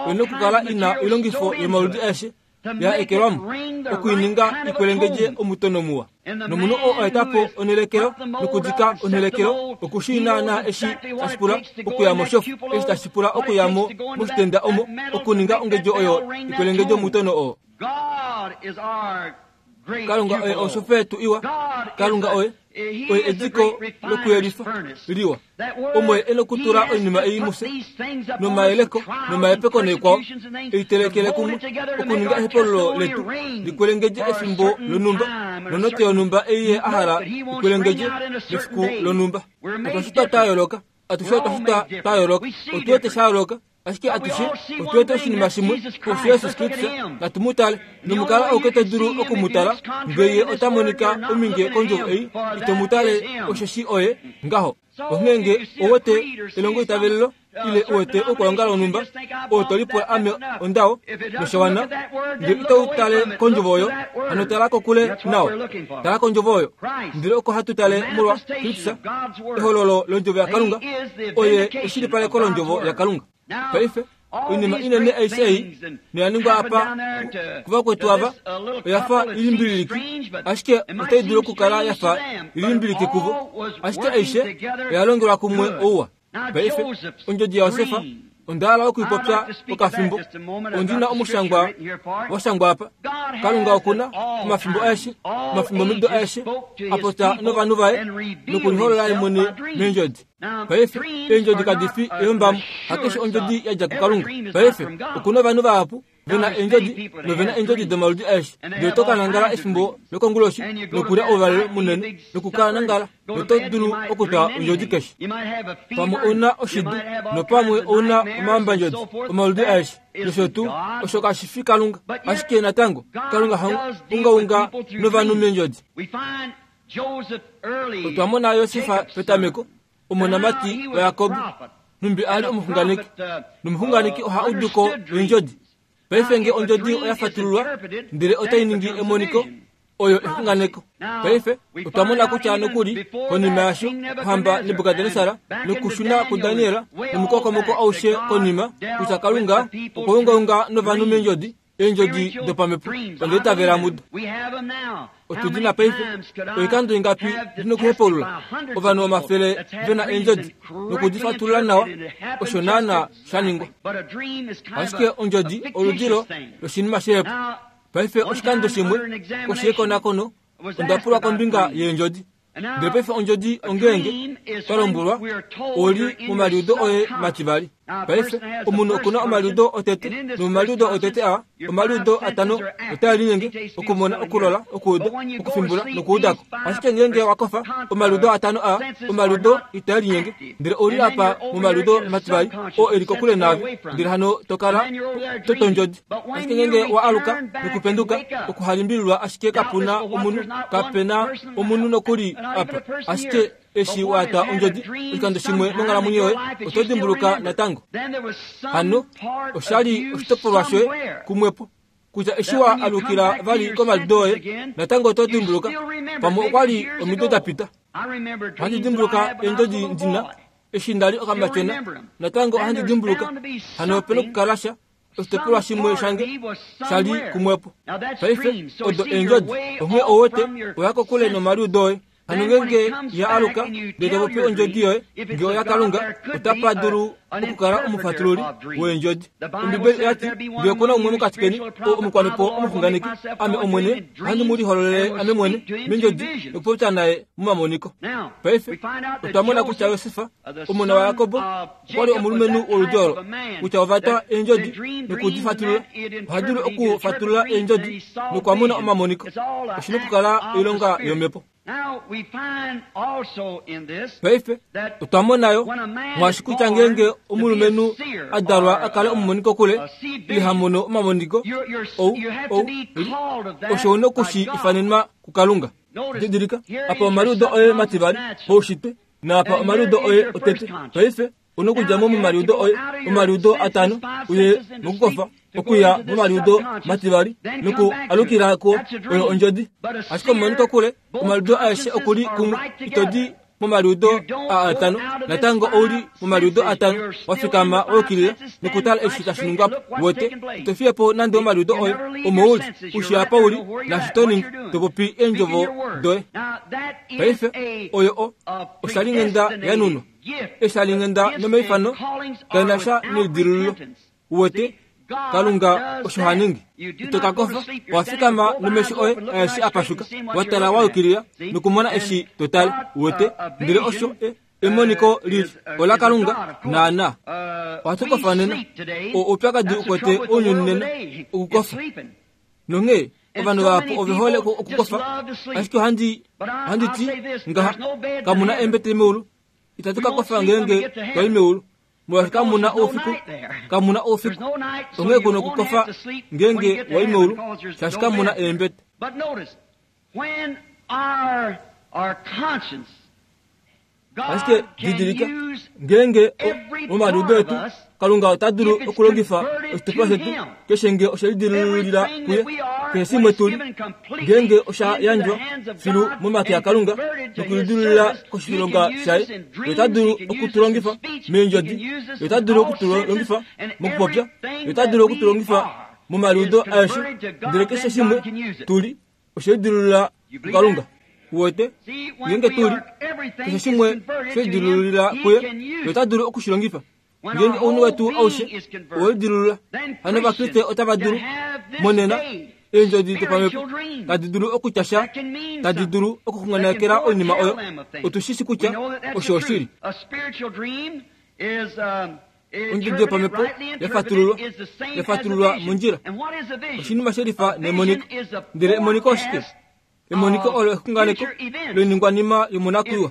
oina okukala ina ilongifo yomaludi aeshe ya ekelwamo okuininga ikwelengedje omutono muwa. Nomunhu oo aetapo onhelekelo nokudika onhelekelo okushii naana eshi tashi pula okuya moshofu, eshi tashi pula okuyamo moshitenda omo okuninga ongejo oyo ikwelengedje omutono oo. Kalunga oye oshofu yetu iwa. Kalunga oye oye ediko lokuyelifa liwa omo ye enokutula oinima ei mufye nomayeleko nomayepeko neikwao eitelekele kumwe okuninga ehepululo letu likwelengedje efimbo lonumba nonote yonumba ei ye ahala ikwelengedje mefiku lonumba. Otwashitwa twa yooloka, atushe otwashitwa twa yooloka, otuwete sha yooloka, ashike atushe otuwete oshinima shimwe osho Jesus Kristus. Natu mu tale nomukala ouke to dulu okumutala ngeye ota monika ominge kondjovo ei ito mu tale osheshi oye ngaho. Onghee nge owete elongo itavelelo ile uwete okulongala onumba oo tolipula ame ondao noshawana, nge ito tale kondjovo oyo hano tala kokule nao. Tala kondjovo oyo. Ndele oko hatu tale molwa Kristus, ehololo londjovo yaKalunga, oye eshilipaleko londjovo yaKalunga. Paife oinima inene aishe ei noya ningwa apa kuvakwetu ava oyafa ilimbililiki, ashike otai dulu okukala yafa ilimbiliki kuvo, ashike aishe oya longelwa kumwe ouwa. Paife ondjodi yaJosefa onda hala okuipopya okafimbo. Ondina omushangwa washangwa apa. Kalunga okuna omafimbo aeshe, omafimbo mido aeshe apota novanhu vaye nokuliholola ye mwene meendjodi. Paife eendjodi kadi fi eyombamo, hakeshe ondjodi yadja kuKalunga. Paife okuna ovanhu vahapu vena eendjodi novena eendjodi domaludi aeshe, ndele oto ka nangala efimbo lokonguloshi nokulya ouvalelo munene nokukala nangala, noto dulu okutwa ondjodi keshe. Pamwe ouna oshidu nopamwe ouna omahambandjodi omaludi aeshe nosho tuu, osho kashi fi Kalunga. Ashike natango Kalunga ha ungaunga novanhu meendjodi. Otwa mona Josefa petameko, omonamati waJakob, numbi ali omuxunganeki, nomuxunganeki oha uduko eendjodi. Paife nge ondjodi oya fatululwa ndele otai ningi emoniko, oyo exunganeko. Paife otwa mona kutya nokuli konima yasho ohamba Nebukadnesar nokushuna kuDaniel nomukokomoko aushe konima kutya Kalunga okwa ungaunga novanhu meendjodi, eendjodi dopamhepo. Onda itavela mudo. Otudina paife oikando ingapi ndinokuhepulula ovanhu omafele vena eendjodi nokudifatulula nawa, osho naana sha ningwa. Ashike ondjodi oludilo loshinima shehepo. Paife oshikando shimwe oshekonakono onda pulwa kombinga yeendjodi. Ndele paife ondjodi ongeenge twa lombwelwa oli momaliudo oye mativali. Paife omunhu okuna omaliudo otete, nomomaliudo otete a omaliudo atano otaa linyenge okumona, okulola, okuuda, okufimbula nokuudako. Ashike ngeenge wakofa omaliudo atano a omaliudo itaa linyenge, ndele oli apa momaliudo mativali oo eli kokule naave, ndele hano tokala totondjodi. Ashike ngeenge wa aluka nokupenduka okuhalimbililwa, ashike kapuna omunhu, kapena omunhu nokuli apa. Ashike eshi waata ondjodi oshikando shimwe monghalamwenyo yoye, oto dimbuluka natango. Hano oshali oshitopolwa shoye kumwepo kutya eshi wa alukila vali komaliudo oye, natango oto dimbuluka. Pamwe okwali omido da pita. Ohandi dimbuluka eendjodi ndina Eshi nda li okamatyona natango ohandi dimbuluka hano opena okukala sha oshitopolwa shimwe shange shali kumwepo. Paife odo eendjodi onghee owete oya kokule nomaliudo oye. Hano ngenge ya aluka ndele to popi ondjodi yoye nge oya Kalunga otapa dulu okukala omufatululi weendjodi. Ombibeli oya ti ngee okuna umwe mokati keni oo omukwanipo omuxunganeki, ame Omwene ohandi mu lihololele ame mwene meendjodi nokupopya naye momamoniko. Paife otwa mona kutya Josef omona waJakob okwa li omulumenhu woludi olo kutya ova twa eendjodi nokudifatulula. Oha dulu okufatulula eendjodi nokwa mona omamoniko. Oshi na okukala oilonga yomhepo. Paife otwa mona yo mwaashi kutya ngeenge omulumenhu a dalwa a kale omumoniko kule ile ha mono omamoniko ou ou osho una okushi ifanenwa kuKalunga. Didilika apa omaliudo oye mativali poushitwe naapa omaliudo oye otete. Paife una okudja mo momaliudo oye omaliudo atano uye mokukofa okuya momaliudo mativali noku alukila ko oyo ondjodi. Ashike omumoniko kule omaliudo aeshe okuli kumwe itodi momaliudo a atano natango ouli momaliudo atano wafikama wayukilila nokutala eshi tashi ningwa po. Wete ito fiye po nande omaliudo oye omo uli ushi apa uli naashi to ningi to popi eendjovo doye. Paife oyo o oshalinghenda yanunwa eshalinghenda nomaifano kaina sha neidilululo. Wete Kalunga osho ha ningi. Ito ka kofa wafikama nomesho oye aeshe apashuka watala wayukilila nokumona eshi totale. Wete ndele osho emoniko lili ola Kalunga naana. Ohatu kofa nena oupyakadi ukwete ounyuni nena okukofa nonghee ovanhu vahapu ove hole okukofa ashike ohandi ohandi ti ngaha kamuna eembete meulu. Itatu ka kofa ngeenge twai meulu molwaashi kamuna oufiku kamuna oufiku onghee kuna okukofa ngeenge wai meulu shaashi kamuna eembete. Ashike didilika ngeenge momaliudo etu Kalunga ota dulu okulongifa oshitopolwa shetu keshe nge oshe lidilulila kuye keshe shimwe tuli ngeenge osha yandjwa filu momake aKalunga nokulidilulila koshilonga shaye. Ota dulu okutulongifa meendjodi, ota dulu okutulongifa mokupopya, ota dulu okutulongifa momaliudo aeshe ndele keshe shimwe tuli oshe lidilulila kuKalunga. Wete ngeenge tuli keshe shimwe she lidilulila kuye ota dulu okushilongifa. Ngeenge ounhu wetu aushe owelidilulula hano Ovakriste otava dulu monena eendjodi dopamhepo tadi dulu okutya sha tadi dulu okuxunganekela oinima oyo. Otu shi shi kutya osho oshili. Ondjodi yopamhepo yafatululwa yafatululwa mondjila oshinima shelifa nemoniko. Ndele emoniko oshike? Emoniko olo exunganeko loiningwanima yomonakwiiwa.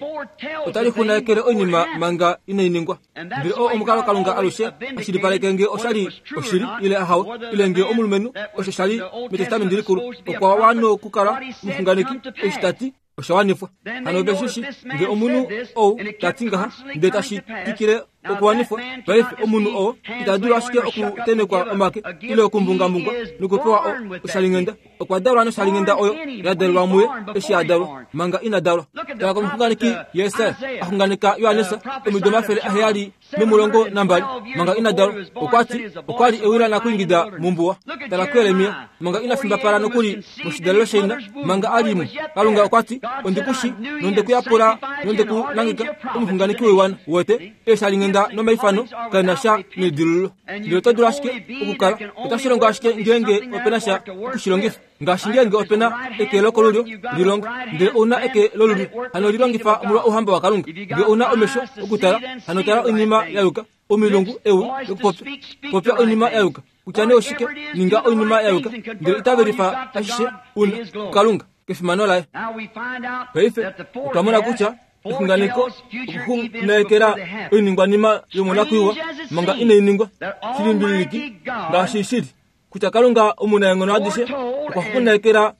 Otali xunganekele oinima manga inai ningwa. Ndele oo omukalo Kalunga alushe ashilipaleke nge oshali oshili ile ahawe ile nge omulumenhu osho shali metestamenti likulu okwa wana okukala omuxunganeki eshi tati osha wanifwa. Hano oveshishi nge omunhu ou tati ngaha ndele tashi twikile okuwanifwa. Paife omunhu oo ita dulu ashike okutenekwa omake ile okumbungambungwa nokupewa oshalinghenda. Okwa dalwa noshalinghenda oyo ya dalelwa muye eshi a dalwa manga ina dalwa. Tala komuxunganeki Yesaya axunganeka Johannes omido omafele aheyali nomulongo nambali manga ina dalwa. Okwa ti okwa li ewila nakuingida mombuwa. Tala kuJeremia manga ina fimbapala nokuli moshidalelo shaina manga a li mo. Kalunga okwa ti ondikushi nondekuyapula nondekunangeka omuxunganeki woiwana. Wete eshalinghenda nomaifano kaina sha neidilululo. Ndele oto dulu ashike okukala otashi longo ashike ngeenge opena sha okushilongifa. Ngaashi ngeenge opena eke lokolulyo lilonga ndele ouna eke lolulyo hano lilongifa molwa ouhamba waKalunga. Nge ouna omesho okutala hano tala oinima ya yuka omilungu ewi lokupopya popya oinima ya yuka kutya nee oshike ninga oinima ya yuka ndele itavelifa ashishe una kuKalunga kefimano laye. Paife otwa mona kutya exunganeko okuxunganekela oiningwanima yomonakwiiwa manga inai ningwa shilimbililiki ngaashi shili kutya Kalunga omunaenghono adishe okwa xunganekela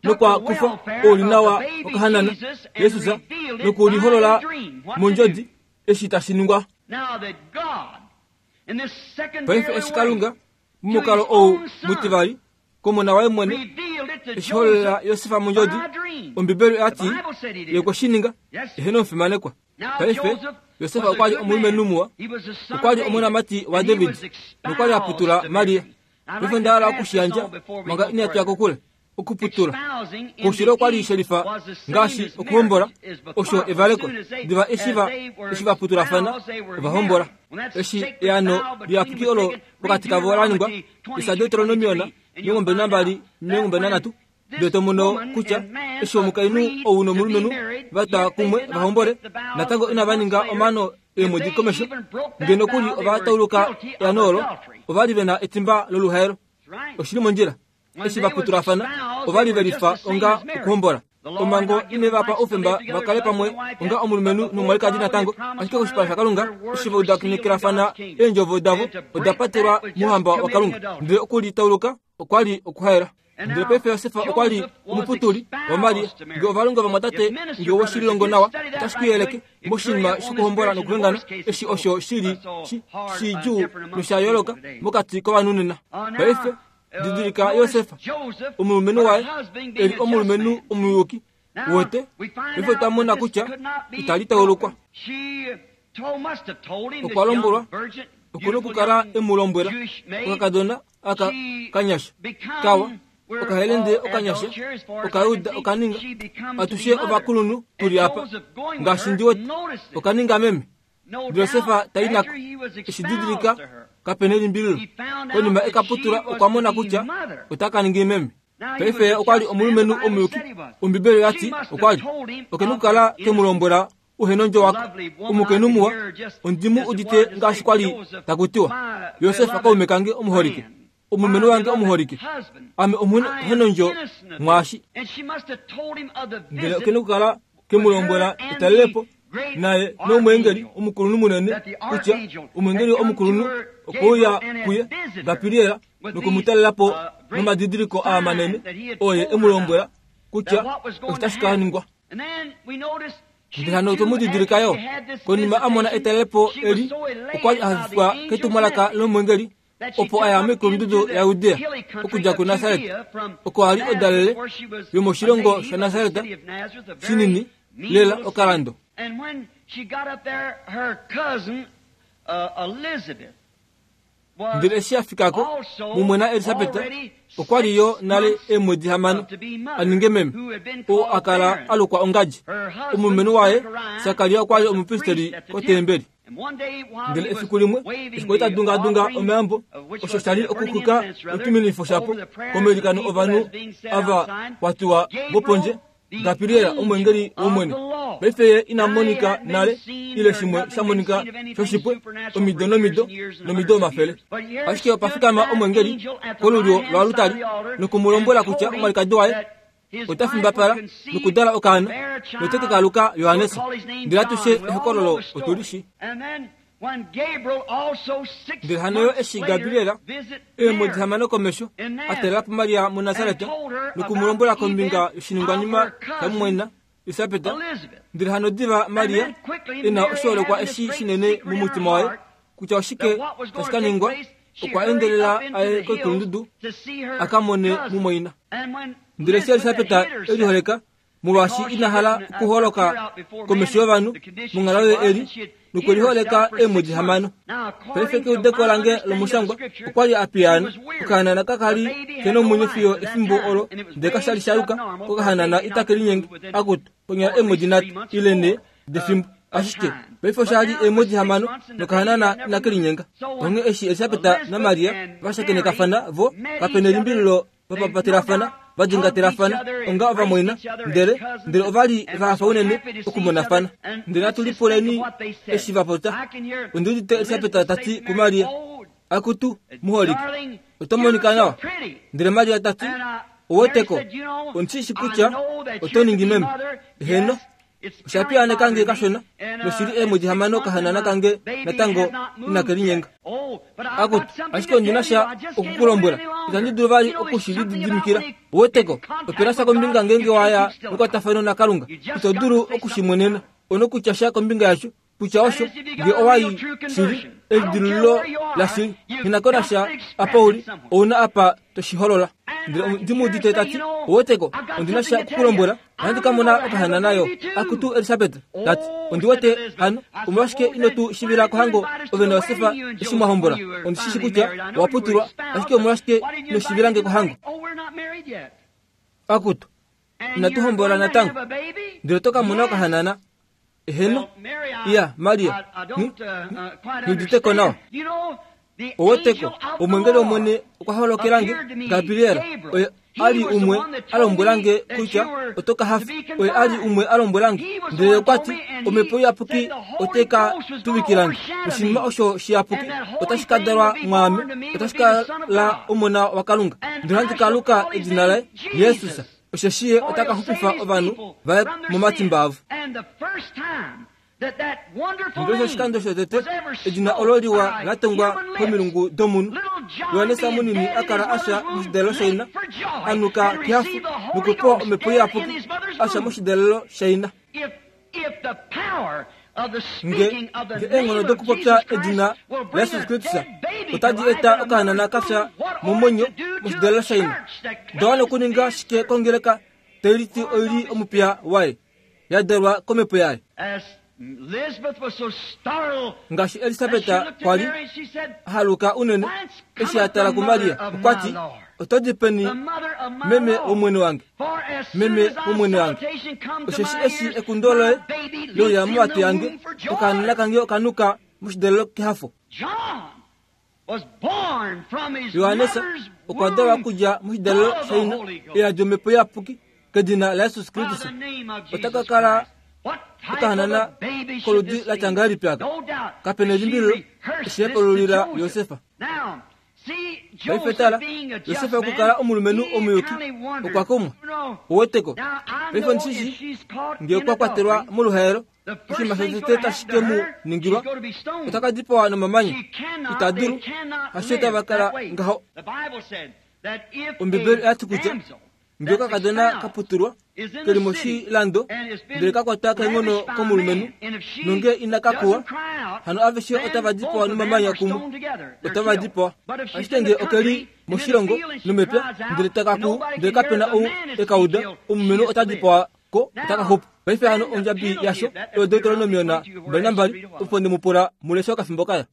nokwa kufa oulinawa okahanana Jesus nokuliholola mondjodi eshi tashi ningwa. Paife eshi Kalunga momukalo ou mutivali komona waye mwene eshi hololela Josef mondjodi, Ombibeli oya ti ye okwe shi ninga eheno omufimanekwa. Paife Yosefa okwa li omulumenhu muwa, okwa li omonamati waDavid nokwa li a putula Maria. Paife onda hala okushiyandja manga ina tuya kokule. Okuputula koushilo okwa li shelifa ngaashi okuhombola, osho evaleko. Diva eshi va eshi va putulafana ovahombola. Eshi eano liyapuki olo pokati kavo la ningwa, Deuteronomiona omilongo mbali nambali omilongo mbali nanhatu, ndele to mono kutya eshi omukainhu ou nomulumenhu va twa kumwe vahombole, natango inava ninga omaano eemwedi komesho, ngeno nokuli ova tauluka eano olo, ova li ve na etimba loluhaelo. Oshili mondjila. Eshi va putulafana ova li ve lifa onga okuhombola. Omhango ine va pa oufemba va kale pamwe onga omulumenhu nomwalikadi natango, ashike koshipala shaKalunga eshi va udanekelafana eendjovo davo oda patelwa mouhamba waKalunga, ndele okulitauluka okwa li okuhaela. Ndele paife Yosefa okwa li omuputuli waMaria. Nge ovalongwa vamwatate nge woshilongo nawa, otashi ku yeleke moshinima shokuhombola nokuhengana, eshi osho shili shidjuu nosha yooloka mokati kovanhu nena. Paife didilika Yosefa, omulumenhu waye e li omulumenhu omuyuki wote. Paife otwa mona kutya itali taulukwa. Okwa lombwelwa okuna okukala e mu lombwela okakadona aka kanyasha kawa okahelende okanyasha okayuda okaninga atushe ovakulunhu tuli apa ngaashi ndi wete okaninga meme. Yosefa tai nako eshi didilika kapena elimbililo. Konima ekaputula okwa mona kutya ota ka ningi meme. Paife okwa li omulumenhu omuyuki. Ombibeli yati okwa li okena okukala ke mu lombwela uhenondjo wako omukainhu muwa ondimu udite ngaashi kwa li takutiwa Yosefa kaume kange omuholike, omulumenhu wange omuholike, ame omuhenondjo mwaashi. Ndele okena okukala ke mu lombwela etalelepo naye nomwengeli omukulunhu munene kutya omwengeli omukulunhu okouya kuye Gabriela nokumutalela po nomadidiliko aa manene oye e mu lombwela kutya otashi ka ningwa. Ndele hano otwe mu didilika yo konima a mona etalelepo eli okwa li a hafifwa ketumwalaka lomwengeli opo aya moikulundudu yaJudea okudja kuNasaret, oko a li odalele yomoshilongo shaNasaret shinini lela okalando. And when she got up there, her cousin uh, Elizabeth Ndele eshi a fikako mumwena Elisabeta okwa li yo nale eemwedi hamano a ninge meme, oo a kala a lukwa ongadji. Omulumenhu waye Sakaria okwa li omupristeli kotembeli. Ndele efiku limwe eshi kwali ta dungadunga omayambo, osho sha li okuxwika otuminifo shapo komailikano ovanhu ava kwatiwa vopondje, Gabriela omwengeli wOmwene. Paife ye ina monika nale ile shimwe sha monika shoshipwe omido nomido nomido omafele. Ashike opa fikama omwengeli kolulyo lwalutali nokumulombwela kutya omwalikadi waye ota fimbapala nokudala okaana note ke kaluka Johannes. Ndele atushe ehokololo otuli shi. Ndele hano yo eshi Gabriela eemwedi hamano komesho a talela po Maria muNasaret nokumulombwela kombinga yoshiningwanima shamumwaina Elisabeta, ndele hano diva Maria e na oshoolekwa eshi shinene momutima waye kutya oshike tashi ka ningwa, okwa endelela aye koikulundudu a ka mone mumwaina. Ndele eshi Elisabeta e liholeka molwaashi ina hala okuholoka komesho yovanhu monghalo ye eli, nokweliholeka eemwedi hamano. Paife keudeko lange lomushangwa okwa li a piyaana. Okahanana kakali ke nomwenyo fiyo efimbo olo, ndele kasha li shaluka kokahanana itake linyenge akutu konyala eemwedi nhatu ile nhe defimbo. Ashike paife osha li eemwedi hamano nokahanana inake linyenga. Onghee eshi Elisabeta naMaria va shakenekafana vo kapena elimbililo vapapatelafana vadingatelafana onga ovamwaina, ndele ndele ova li va hafa unene okumonafana. Ndele natu lipuleni eshi va popya. Ondi udite Elisabeta tati kuMaria, akutu muholike, oto monika nawa. Ndele Maria tati, oweteko, ondishi kutya oto ningi meme. Heno, osha piyaaneka nge kashona, noshili eemwedi hamano okahanana kange natango inake linyenga. Akutu, ashike ondina sha okukulombwela, itandi dulu vali okushilididimikila. Oweteko, opena sha kombinga ngenge waya mekwatafano naKalunga, ito dulu okushimwenena. Onokutya sha kombinga yasho Kutya osho nge owai shili elidilululo lashili nghinako nasha apa uli ouna apa toshiholola. Ndele ndimuudite tati oweteko ondina sha okukulombwela ohandi ka mona okahana nayo. Akutu Elisabet tati ondiwete hano omolwashike ino tu shivila kohango ove naYosefa eshi mwahombola. Ondishishi kutya owaputulwa ashike omolwashike ino shivilange kohango. Akutu inatuhombola natango ndele oto ka mona okahanana. Eheno iya Maria niuditeko nawa. Oweteko omwengeli wOmwene okwa holokelange Gabriel oye ali umwe alombwelange kutya oto ka hafa. Oye ali umwe alombwelange ndele okwati omhepo iyapuki ote ka tuvikilange oshinima osho shiyapuki otashi ka dalwa mwaame otashi kala omona waKalunga. Ndele ohandi ka luka edina laye Jesus osheshi ye ota ka xupifa ovanhu vaye momatimba avo. Ndele oshikando shotete edina olo liwa la tongwa komilungu domunhu. Yohanesa munini akala asha moshidalelo shaina anuka kehafo nokupewa omhepo iyapuki asha moshidalelo shaina. Nge nge eenghono dokupopya edina laYesus Kristus otadi eta okahanana kafya momwenyo moshidalelo shaina. Oda okuninga shike kongeleka tailiti oili omupiya waye yadalwa komhepo yaye. Ngaashi Elisabeta kwali ahaluka unene eshi atala kuMaria okwati oto di peni meme womwene wange meme womwene wange osheshi eshi ekundo loye leuya mowatu yange okahanana kange okanuka moshidalelo kehafo. Yohanesa okwa dalwa okudja moshidalelo shaina eyadi omhepo iyapuki kedina laYesus Kristus. Ota ka kala okahanana koludi latya ngahelipi aka? Kapena elimbililo eshi epolulila Yosefa. Paife tala Yosefa okukala omulumenhu omuyuki okwa kumwa oweteko. Paife ondishishi nge okwa kwatelwa moluhaelo oshinima shotete tashi ke mu ningilwa ota ka dipawa nomamanya. Ita dulu hasho tava kala ngaho. Ombibeli oyati kutya nge okakadona kaputulwa keli moshilando ndele kakwatwa keenghono komulumenhu nonge ina kakuwa hano aveshe otava dipawa nomamanya kumwe otava dipawa. Ashike nge okeli moshilongo nomepya ndele takaku ndele kapena ou ekauda omulumenhu ota dipawa ko ota kaxupa. Paife hano ondjabi yasho oyo Deuteronomiona mbali nambali opo ndimupula muleshe okafimbo kaya.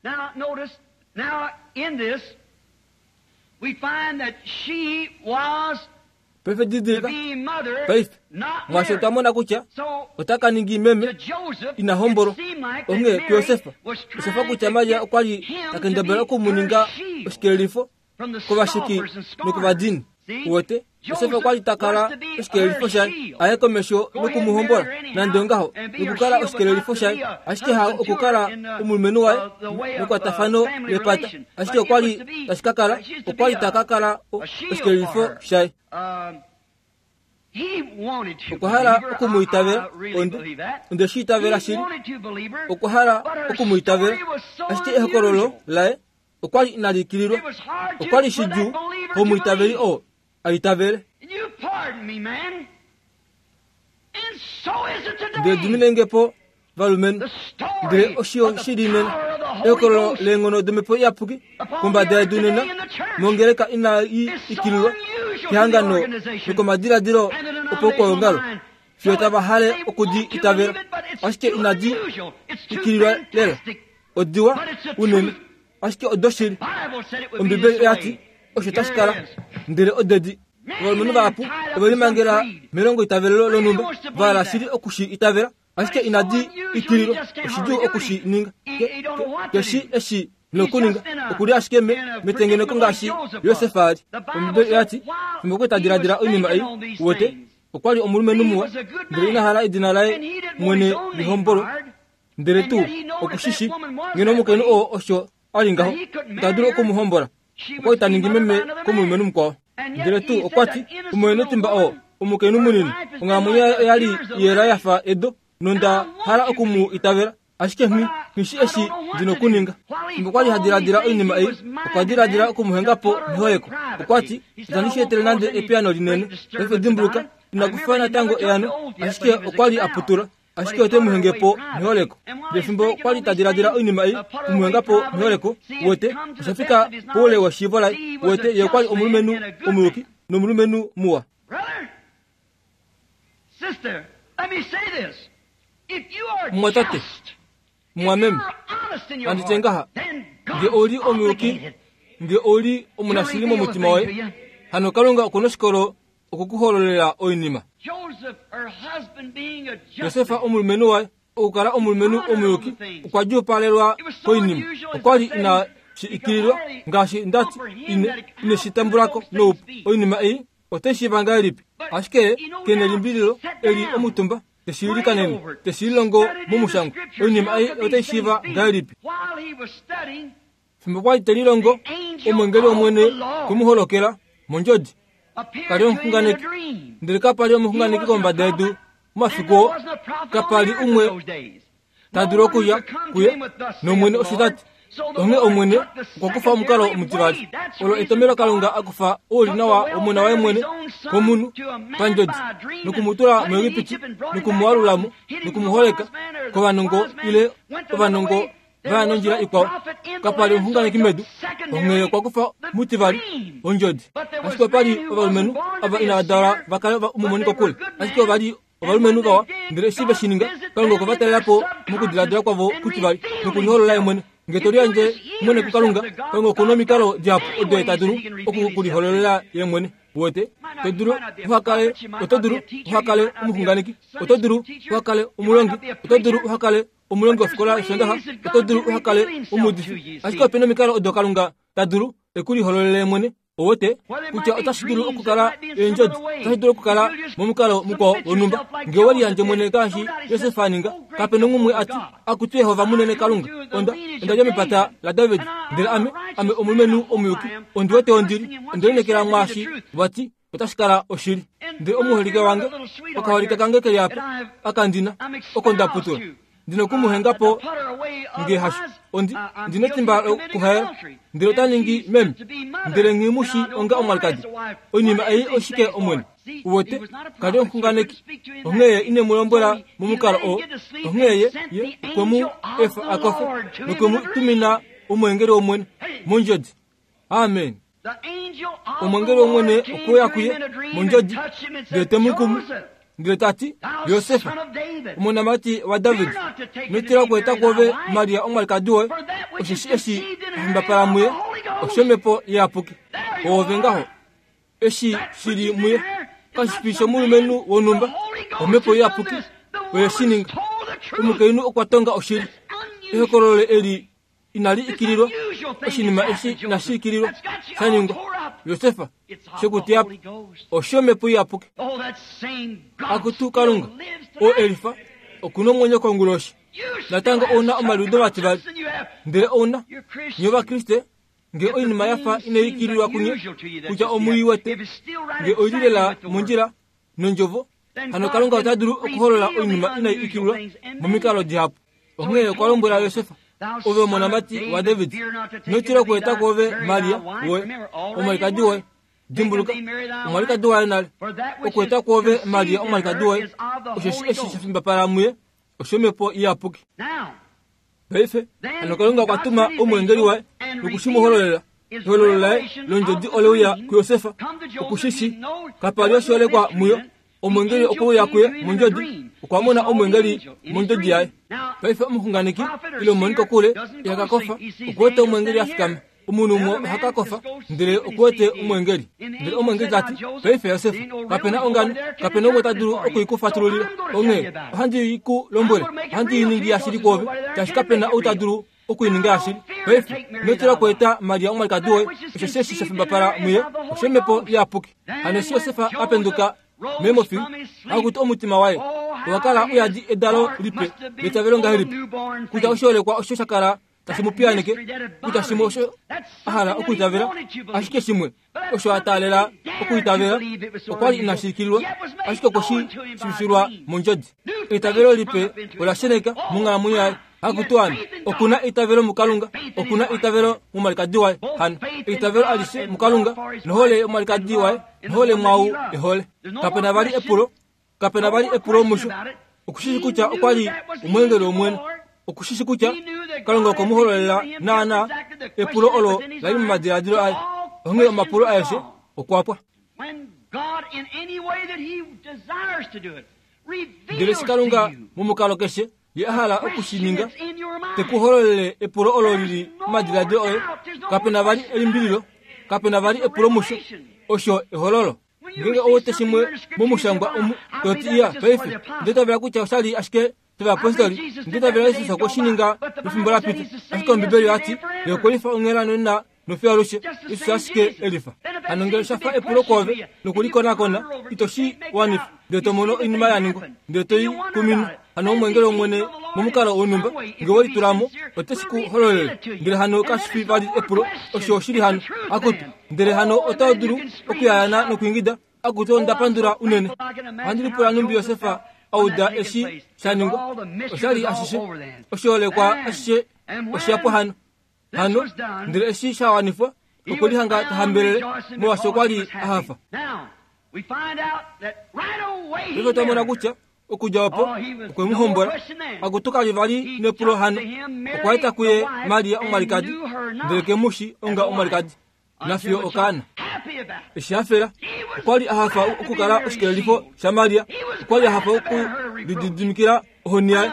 Paife didilika paife mwasho twamona kutya ota ka ningi meme ina hombolwa onghee kuYosefa. Oshafa kutya Maria okwali takendabala okumuninga oshikelelifo kovasheki nokovadini. Uwete Yosefa okwali takala oshikelelifo shaye aye komesho nokumuhombola nande ongaho nokukala oshikelelifo shaye ashike ha okukala omulumenhu waye mekwatafano lepata ashike okwali tashikakala okwali takakala oshikelelifo shaye. Okwa hala okumuitavela onde shi itavela shili okwa hala okumuitavela ashike ehokololo laye okwali inalikililwa okwali shidjuu komuitaveli oo aitavele. Ndele diminengepo valumenhu ndele osho shili nena ehokololo leenghono domhepo iyapuki kombada yedu nena mongeleka inai ikililwa kehangano nokomadiladilo opaukwaongalo fiyo tava hale okudi itavela ashike inadi ikililwa lela odiwa unene ashike odoshili. Ombibeli oyati osho tashi kala ndele odedi. Ovalumenhu vahapu ovelimangela melongo itavelelo lonhumba vahala shili okushi itavela ashike inadi ikililwa oshidjuu okushi ninga keshi eshi nokuninga okuli ashike metengeneko ngaashi Yosefa ali. Ombibeli oyati fimbo kwe tadiladila oinima ei uwete okwali omulumenhu muwa ndele ina hala edina laye mwene lihombolwe ndele tuu okushishi ngeno omukainhu oo osho ali ngaho ita dulu okumuhombola okwali taningi meme komulumenhu mukwao. Ndele tuu okwati omwenetimba oo omukainhu munini onghalamwenyo yaye oyali yela yafa edo nonda hala okumu itavela ashike nghi nghishi eshi ndina okuninga. Fimbo kwali hadiladila oinima ei okwa diladila okumuhengapo mehoyeko. Okwati itandi shi etele nande epiyaano linene. Paife dimbuluka inakufa natango eano ashike okwali aputula Ashike ote mu henge po meholeko. Ndele fimbo kwa li ta diladila oinima ei, kumuhenga po meholeko, wete, osha fika poule weshiivo laye, wete, ye okwa li omulumenhu omuyuki nomulumenhu muwa. Mumwatate, mumwameme, handi tye ngaha, nge ou li omuyuki, nge ou li omunashili momutima woye, hano Kalunga okuna oshikolo okukuhololela oinima. Josefa omulumenhu waye, okukala omulumenhu omuyuki, okwa djuupalelwa koinima. Okwa li ina shi ikililwa, ngaashi ndati ine, ine shi tambulako noupu. Oinima ei ote shiiva ngahelipi? Ashike kene limbililo eli omutumba te shi ilikanene, te shi lilongo momushangwa. Oinima ei ote shiiva ngahelipi? Fimbo kwa li te lilongo, omwengeli wOmwene kumuholokela mondjodi. Kali omuxunganeki, ndele kapa li omuxunganeki kombada yedu momafiku oo, kapa li umwe ta dulu okuya kuye nOmwene osho ta ti. Onghee Omwene okwa kufa omukalo omutivali. Olo etomhelo Kalunga a kufa oulinawa wOmona waye mwene komunhu pandjodi, nokumutula muEgipiti, nokumualulamo, nokumuholeka kovanongo ile ovanongo vaya nondjila ikwao. Kapa li omuxunganeki medu, onghee okwa kufa mutivali ondjodi. Ashike opa li ovalumenhu ava inava dalwa va kale omumonikokule, ashike ova li ovalumenhu vawa, ndele eshi ve shi ninga, Kalunga okwe va talela po mokudiladila kwavo kutivali nokuliholola ye mwene. Nge to liyandje mwene kuKalunga, Kalunga okuna omikalo dihapu odo ye ta dulu okukulihololela ye mwene. Wete, to dulu uhakale, oto dulu uhakale omuxunganeki, oto dulu uhakale omulongi, oto dulu uhakale omulongi wofikola yOshondaxa, oto dulu uhakale omuudifi. Ashike opena omikalo odo Kalunga ta dulu ekulihololele mwene. Owete kutya otashi dulu okukala eendjodi, otashi dulu okukala momukalo mukwao wonhumba. Nge we liyandje mwene ngaashi Josef a ninga, kape nomumwe a ti, akutu Yehova munene Kalunga, onda onda dja mepata laDavid, ndele ame ame omulumenhu omuyuki, ondi wete ondili, onde lineekela mwaashi wa ti otashi kala oshili. Ndele omuholike wange, okaholike kange keli apa, akandina, oko nda putula, ndina okumuhenga po nge hasho, ondi ndina etimba lokuhaela, ndele ota ningi meme, ndele nghi mu shi onga omwalikadi. Oinima ei oshike Omwene? Uwete, kali omuxunganeki, onghee ine mu lombwela momukalo oo, onghee ye, ye okwe mu efa a kofe, nokwe mu tumina omwengeli wOmwene mondjodi. Amen. Omwengeli wOmwene okwe uya kuye mondjodi, ndele te mu kumu, ndele ta ti, Josefa, omonamati waDavid, ino tila okweeta kwoove Maria omwalikadi woye, osheshi eshi a fimbapala muye oshomhepo iyapuki. Oove ngaho, eshi shili muye kashi fi shomulumenhu wonhumba, omhepo iyapuki oye shi ninga. Omukainhu okwa tonga oshili. Ehokololo eli inali ikililwa, oshinima eshi inashi ikililwa sha ningwa. Josefa shekutiya oshomhepo iyapuki. Akutu Kalunga, oo elifa okuna omwenyo konguloshi. Natango ouna omaliudo mativali, ndele ouna nye Ovakriste, nge oinima yafa inai ikililwa kunye, kutya omuiwete, nge oili lela mondjila nondjovo, hano Kalunga ota dulu okuholola oinima inai ikililwa momikalo dihapu. Onghee okwa lombwela Josefa, ove omonamati waDavid, ino tila okweeta kwoove Maria woye, omwalikadi woye. Dimbuluka, omwalikadi waye nale. Okweeta kwoove Maria omwalikadi woye, osheshi eshi sha fimbapala muye oshomhepo iyapuki. Paife, hano Kalunga okwa tuma omwengeli waye noku shi mu hololela. Ehololo laye londjodi ole uya kuJosefa, okushishi kapa li oshiholekwa muyo. Omwengeli okwe uya kuye mondjodi, okwa mona omwengeli mondjodi yaye. Paife omuxunganeki ile omumonikokule iha ka kofa, okuwete omwengeli a fikama. Omunhu umwe oha ka kofa, ndele okuwete omwengeli. Ndele omwengeli ta ti, paife Josef, kapena ongano, kapena umwe ta dulu okuikufatululila. Onghee ohandi i ku lombwele, ohandi i ningi yashili kwoove, shaashi kapena ou ta dulu okuininga yashili. Paife ino tila okweeta Maria omwalikadi woye, osheshi eshi sha fimbapala muye oshomhepo iyapuki. Hano eshi Josef a penduka meemofi, akuti omutima waye owa kala uyadi edalo lipe letavelo ngahelipi, kutya oshiholekwa osho sha kala tashi mu piyaneke, kutya shimwe osho a hala okuitavela, ashike shimwe osho a taalela okuitavela okwa li inashi ikililwa, ashike okwe shi shivifilwa mondjodi. Eitavelo lipe ola sheneka monghalamwenyo yaye. Akutu ame, okuna eitavelo muKalunga, okuna eitavelo momwalikadi waye. Hano eitavelo alishe muKalunga nohole yomwalikadi waye, nohole mwau ehole. Kapena vali epulo, kapena vali epulo musho. Okushishi kutya okwa li omweengeli wOmwene. Okushishi kutya Kalunga okwe mu hololela naana epulo olo la li momadiladilo aye. Onghee omapulo aeshe okwa pwa. Ndele eshi Kalunga momukalo keshe ye a hala okushininga, te ku hololele epulo olo lili momadiladilo oye, kapena vali elimbililo, kapena vali epulo musho, osho ehololo. Ngenge owete shimwe momushangwa omu toti iya paife, nditavela kutya oshali ashike ovayapostoli, nditavela Jesus okwe shi ninga mefimbo la pita, ashike Ombibeli oyati ye okwe lifa onghela nonena nofiyo alushe, Jesus ashike e lifa. Hano ngele osha fa epulo kwoove nokulikonakona, ito shi wanifa, ndele to mono oinima ya ningwa, ndele to i kuminwa. Hano omweengeli wOmwene momukalo wonhumba, nge we litula mo, ote shi ku hololele. Ndele hano kashi fi vali epulo, osho oshili hano. Akutu, ndele hano ota dulu okuyayana nokwiingida, akutu onda pandula unene. Ohandi lipula nhumbi Josef auda eshi sha ningwa, oshali ashishe, oshiholekwa ashishe osha hano. Hano, ndele eshi sha wanifwa, okwe lihanga ta hambelele, molwaashi okwa li a hafa. Paife otwa mona kutya okudja opo okwe mu hombola, akutu ka li vali nepulo hano. Okwa eta kuye Maria omwalikadi, ndele ke mu shi onga omwalikadi, nafiyo okaana. Eshi hafela, okwa li a hafa okukala oshikelelifo shaMaria, okwa li a hafa okulididimikila ohoni yaye.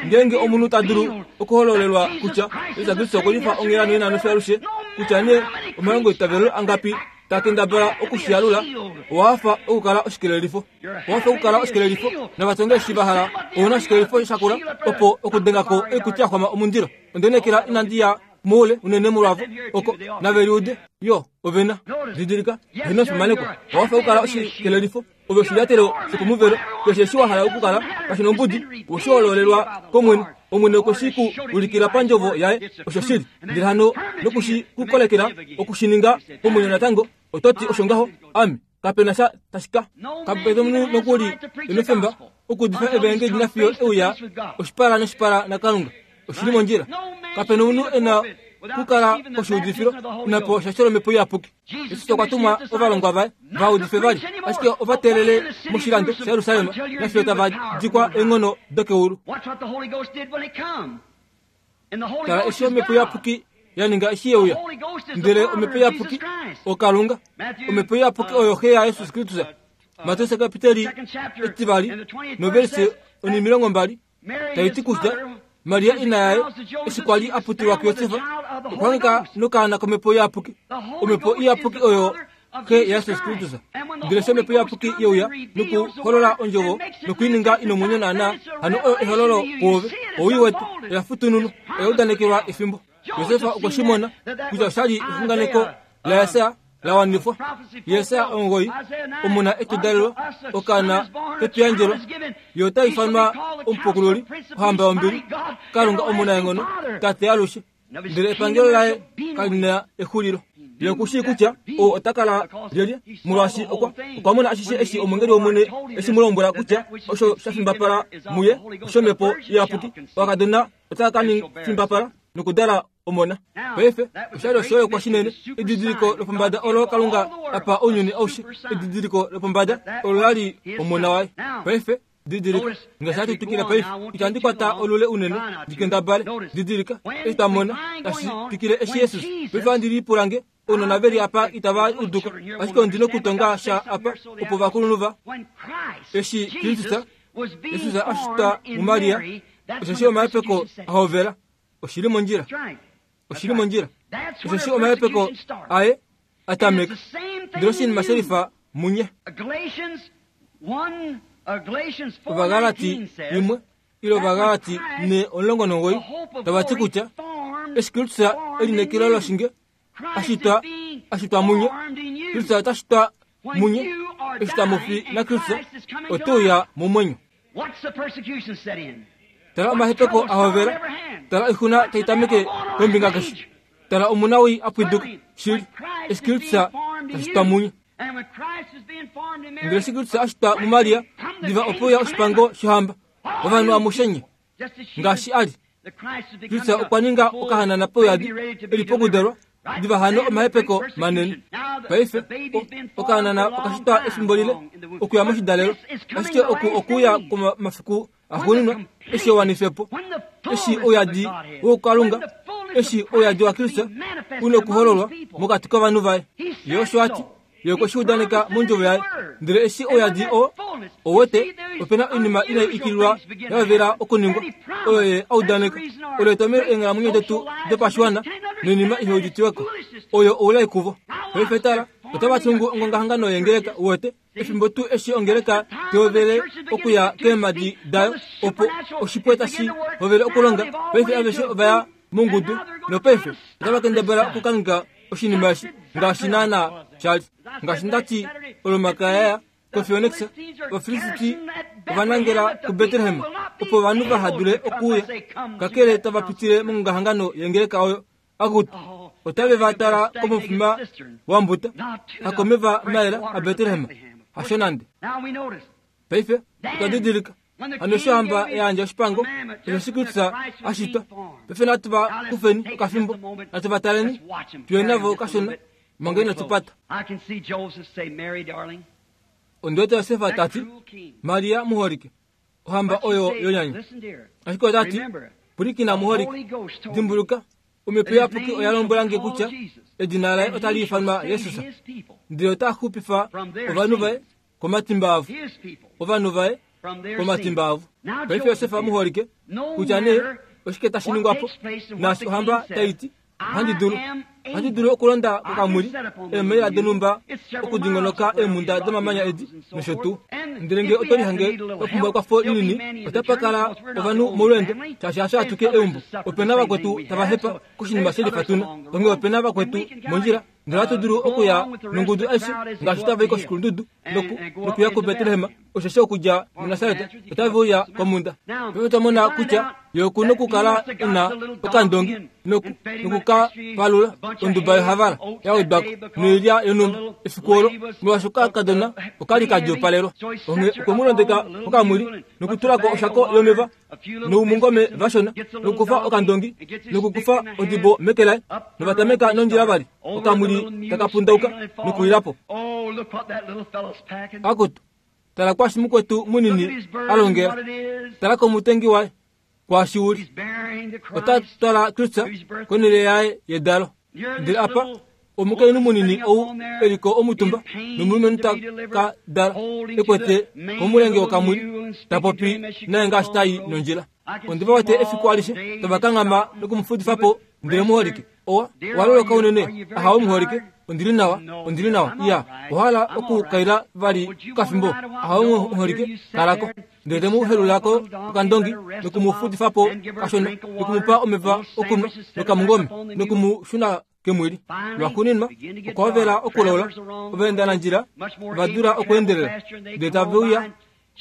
Ngeenge omunhu ta dulu okuhololelwa kutya Jesus Kristus okwe lifa onghela nonena nofiyo alushe, kutya nee omalongo eitavelo angapi ta kendabala okushiyalula, owa hafa okukala oshikelelifo. Owa hafa okukala oshikelelifo, navatonge eshi va hala ouna oshikelelifo shakula opo okudengako oikuti ya xwama omundilo. Ondenekela inandi ya moule unene molwavo oko naveliude yo ovena didilika heno fimaneko. Owa hafa okukala oshikelelifo, ove oshilyatelo shokomuvelo, keshe eshi wa hala okukala kashi nombudi, oshihololelwa kOmwene. Omwene okwe shi ku ulikila pandjovo yaye, osho shili. Ndele hano nokushi ku kolekela okushininga pomwenyo natango, ototi osho ngaho, ame kapena sha tashika. Kapena omunhu nokuli enofemba okuudifa evangeli nafiyo euya oshipala noshipala naKalunga. Oshili mondjila. Kapena omunhu ena kukala koshiudifilo inapo shashelo lomhepo iyapuki. Jesus okwa tuma ovalongwa vaye va udife vali, ashike ova teelele moshilando shaJerusalem nafiyo tava dikwa eenghono dokeulu. Tala eshi omhepo iyapuki ya ninga eshi yeuya. Ndele omhepo iyapuki oKalunga, omhepo iyapuki oyo Xe yaJesus Kristus. Mateus kapiteli etivali noverse onimilongo mbali taiti kutya Maria ina yaye eshi kwa li a putilwa kuJosef, okwa hangika nokaana komhepo iyapuki. Omhepo iyapuki oyo Xe yaJesus Kristus. Ndele eshi omhepo iyapuki yeuya nokuholola ondjovo nokuininga inomwenyo naana, hano oyo ehololo kwoove, owii wetu, oya futununwa, oya udanekelwa efimbo. Josef okwe shi mona kutya oshali exunganeko laJesaja la wanifwa. Jesaja omugoyi omuna etudalelwa, okaana ketuyandjelwa, ye ota ifanwa omupukululi, ohamba yombili, Kalunga omunaenghono, Tate alushe. Ndele epangelo laye kali na exulilo. Ye okushii kutya ou ota kala lyelye, molwaashi okwa okwa mona ashishe eshi omweengeli wOmwene eshi mu lombwela kutya osho sha fimbapala muye oshomhepo iyapuki. Okakadona otaka ka fimbapala nokudala omona. Paife oshali oshiholekwa shinene, edidiliko lopombada olo Kalunga apa ounyuni aushe, edidiliko lopombada olo la li omona waye. Paife didilika, ngaashi hatu twikile paife, itandi kwata olule unene ndikendabale. Didilika eshi twa mona tashi twikile eshi Jesus. Paife ohandi lipula nge ounona veli apa itava uduka, ashike ondi nokutonga sha apa opo ovakulunhu va eshi Kristus Jesus a shitwa muMaria, osheshi omahepeko a hovela. Oshili mondjila, oshili mondjila, osheshi omahepeko aye a tameka. Ndele oshinima shelifa munye. Ovagalati imwe ile Ovagalati ne omulongo nomugoyi tava ti kutya eshi Kristus elinekelo loshinge ashitwa ashitwa munye, Kristus ota shitwa munye, eshi tamu fi naKristus ote uya momwenyo. Tala omahepeko a hovela, tala oixuna tai tameke kombinga keshe, tala omunawii a pwiduka shili, eshi Kristus tashitwa munye. Ndele eshi Kristus a shitwa muMaria, diva ope uya oshipango shohamba, ovanhu amushe ngaashi a li. Kristus okwa ninga okahanana pouyadi eli pokudalwa, diva hano omahepeko manene. Paife okahanana okashitwa efimbo lile okuya moshidalelo, ashike oku okuya komafiku Axuuninwa eshi ewanifepo, eshi ouyadi woukalunga, eshi ouyadi waKristus u nokuhololwa mokati kovanhu vaye. Ye osho a ti, ye okwe shi udaneka mondjovo yaye. Ndele eshi ouyadi oo owete, opena oinima inai ikililwa ya hovela okuningwa, oyo ye a udaneka. Olo etomhelo eenghalamwenyo detu dopashiwana noinima iheuditiweko, oyo oulai kuvo. Paife tala, otava tungu ongongahangano yengeleka, uwete, efimbo tuu eshi ongeleka tehovele okuya keemhadi dayo, opo oshipwe tashi hovele okulonga. Paife aveshe ovaya mongudu, nopaife otava kendabala okukangheka oshinima eshi ngaashi naana shali. Ngaashi ndati olomakaya koPhoenix, Ovafilisti ovanangela kuBetlehem opo ovanhu vaha dule okuuya, kakele tava pitile mongongahangano yengeleka oyo. Akutu, otave va tala komufima wambuta, hakomeva maela aBetlehem, hasho nande. Paife otwa didilika hano eshi ohamba ya yandja oshipango, osho Kristus a shitwa. Paife natu va kufeni okafimbo, natu va taleni, tuye navo kashona manga inatu pata. Ondi wete Josefa tati, Maria muholike, ohamba oyo yonyanya. Ashike ota ti, pwilikina muholike, dimbuluka, omhepo iyapuki oya lombwela nge kutya edina laye otali ifanwa Jesus, ndele ota xupifa ovanhu vaye komatimba avo, ovanhu vaye komatimba avo. Paife Josefa muholike, kutya nee oshike tashi ningwa po, naashi ohamba tai ti, ohandi dulu ohandi dulu okulonda kokamwili eemaila donhumba okudingonoka eemhunda domamanya edi nosho tuu. Ndele ngee oto lihange wa pumbwa ekwafo linini, otapa kala ovanhu molweendo, shaashi hasho atuke eumbo. Opena vakwetu tava hepa koshinima shelifatuna, onghee opena vakwetu mondjila, ndele ohatu dulu okuya nongudu aishe ngaashi tava i koshikulundudu nokuya kuBetlehem, osheshi okudja muNasaret otave uya komhunda. Paife otwa mona kutya ye oku nokukala e na okandongi nokukapalula onduba yohavala ya wedwako noilya yonhumba efiku olo, molwaashi okakadona okali ka djuupalelwa. Onghee okwe mu londeka kokamwili nokutulako oshako yomeva noumungome vashona, nokukufa okandongi nokukufa odibo meke laye, novatameka nondjila vali, okamwili taka pundauka nokulilapo. Akutu, tala kwashi mukwetu munini a longela, tala komutengi waye kwashi uli. Ota twala Kristus konhele yaye yedalo. Ndele apa omukainhu munini ou eliko omutumba nomulumenhu ta ka dala ekwete komulenge wokamwili, ta popi naye ngaashi tai nondjila. Ondi va wete efiku alishe tava kanghama nokumufudifa po, ndele muholike owa waloloka unene, ahawe muholike, ondili nawa, ondili nawa, iya, ohala okukaila vali okafimbo, ahawe muholike, kalako. Ndele te mu helulako okandongi nokumufudifa po kashona, nokumupa omeva okunwa nokamungome, nokumushuna kemwili. Lwaxuuninwa okwa hovela okulola, ovaendanandjila ova dula okuendelela, ndele tave uya,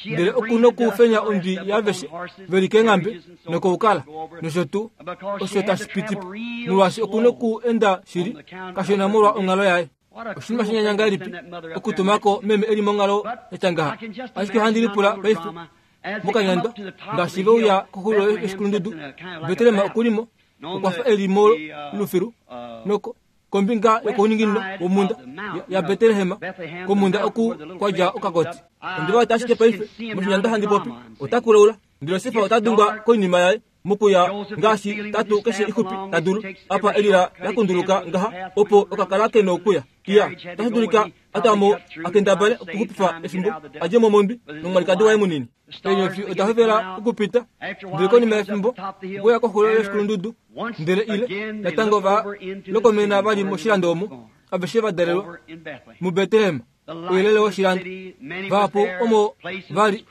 ndele oku nokufenya ondwi yaaveshe veli keenghambe nokoukala nosho tuu osho tashi piti po, molwaashi oku nokuenda shili kashona molwa onghalo yaye. Oshinima shinyanya ngahelipi okutumako meme eli monghalo yatya ngaha. Ashike ohandi lipula paife mokanyandwa ngaashi ve uya koxulo yoshikulundudu, Betlehem okulimo okwa fa eli molufilu noko kombinga yokouninginino womhunda yaBetlehem, komhunda oku kwa dja okakoti. Ondi va wete ashike paife moshinyandwa handi popi, ota kulaula, ndele Josefa ota dungwa koinima yaye mokuya ngaashi tatu keshe ixupi ta dulu, apa elila la kunduluka ngaha opo okakala ke nokuya. Iya, otashi dulika atamo akendabale okuxupifa efimbo a dje mo mondwi nomwalikadi waye munini. Eenyofi oda hovela okupita, ndele konima yefimbo okuya koxulo yoshikulundudu, ndele ile natango va lokomena vali moshilando omo aveshe va dalelwa muBetlehem, ouyelele woshilando. Vahapu omo vali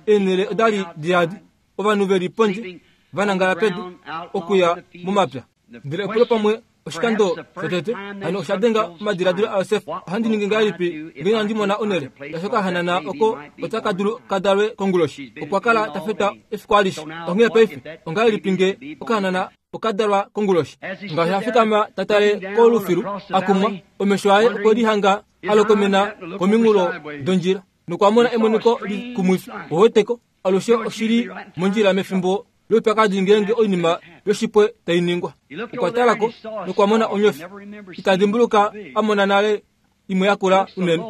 eenhele odali diyadi, ovanhu veli pondje vanangala pedu okuya momapya. Ndele epulo pamwe oshikando shotete hano osha denga omadiladilo aJosef, ohandi ningi ngahelipi ngee inandi mona onhele yashokahanana oko otaka dulu kadalwe konguloshi. Okwa kala ta feta efiku alishe. Onghee paife ongahelipi ngee okahanana okadalwa konguloshi? Ngaashi a fikama ta tale kolufilu a kumwa, omesho aye okwe lihanga a lokomena kominghulo dondjila nokwa mona emoniko likumwifi. Oweteko alushe oshili mondjila mefimbo loupyakadi ngeenge oinima yoshipwe tai ningwa. Okwa talako nokwa mona onyofi ita dimbuluka a mona nale imwe yakula unene,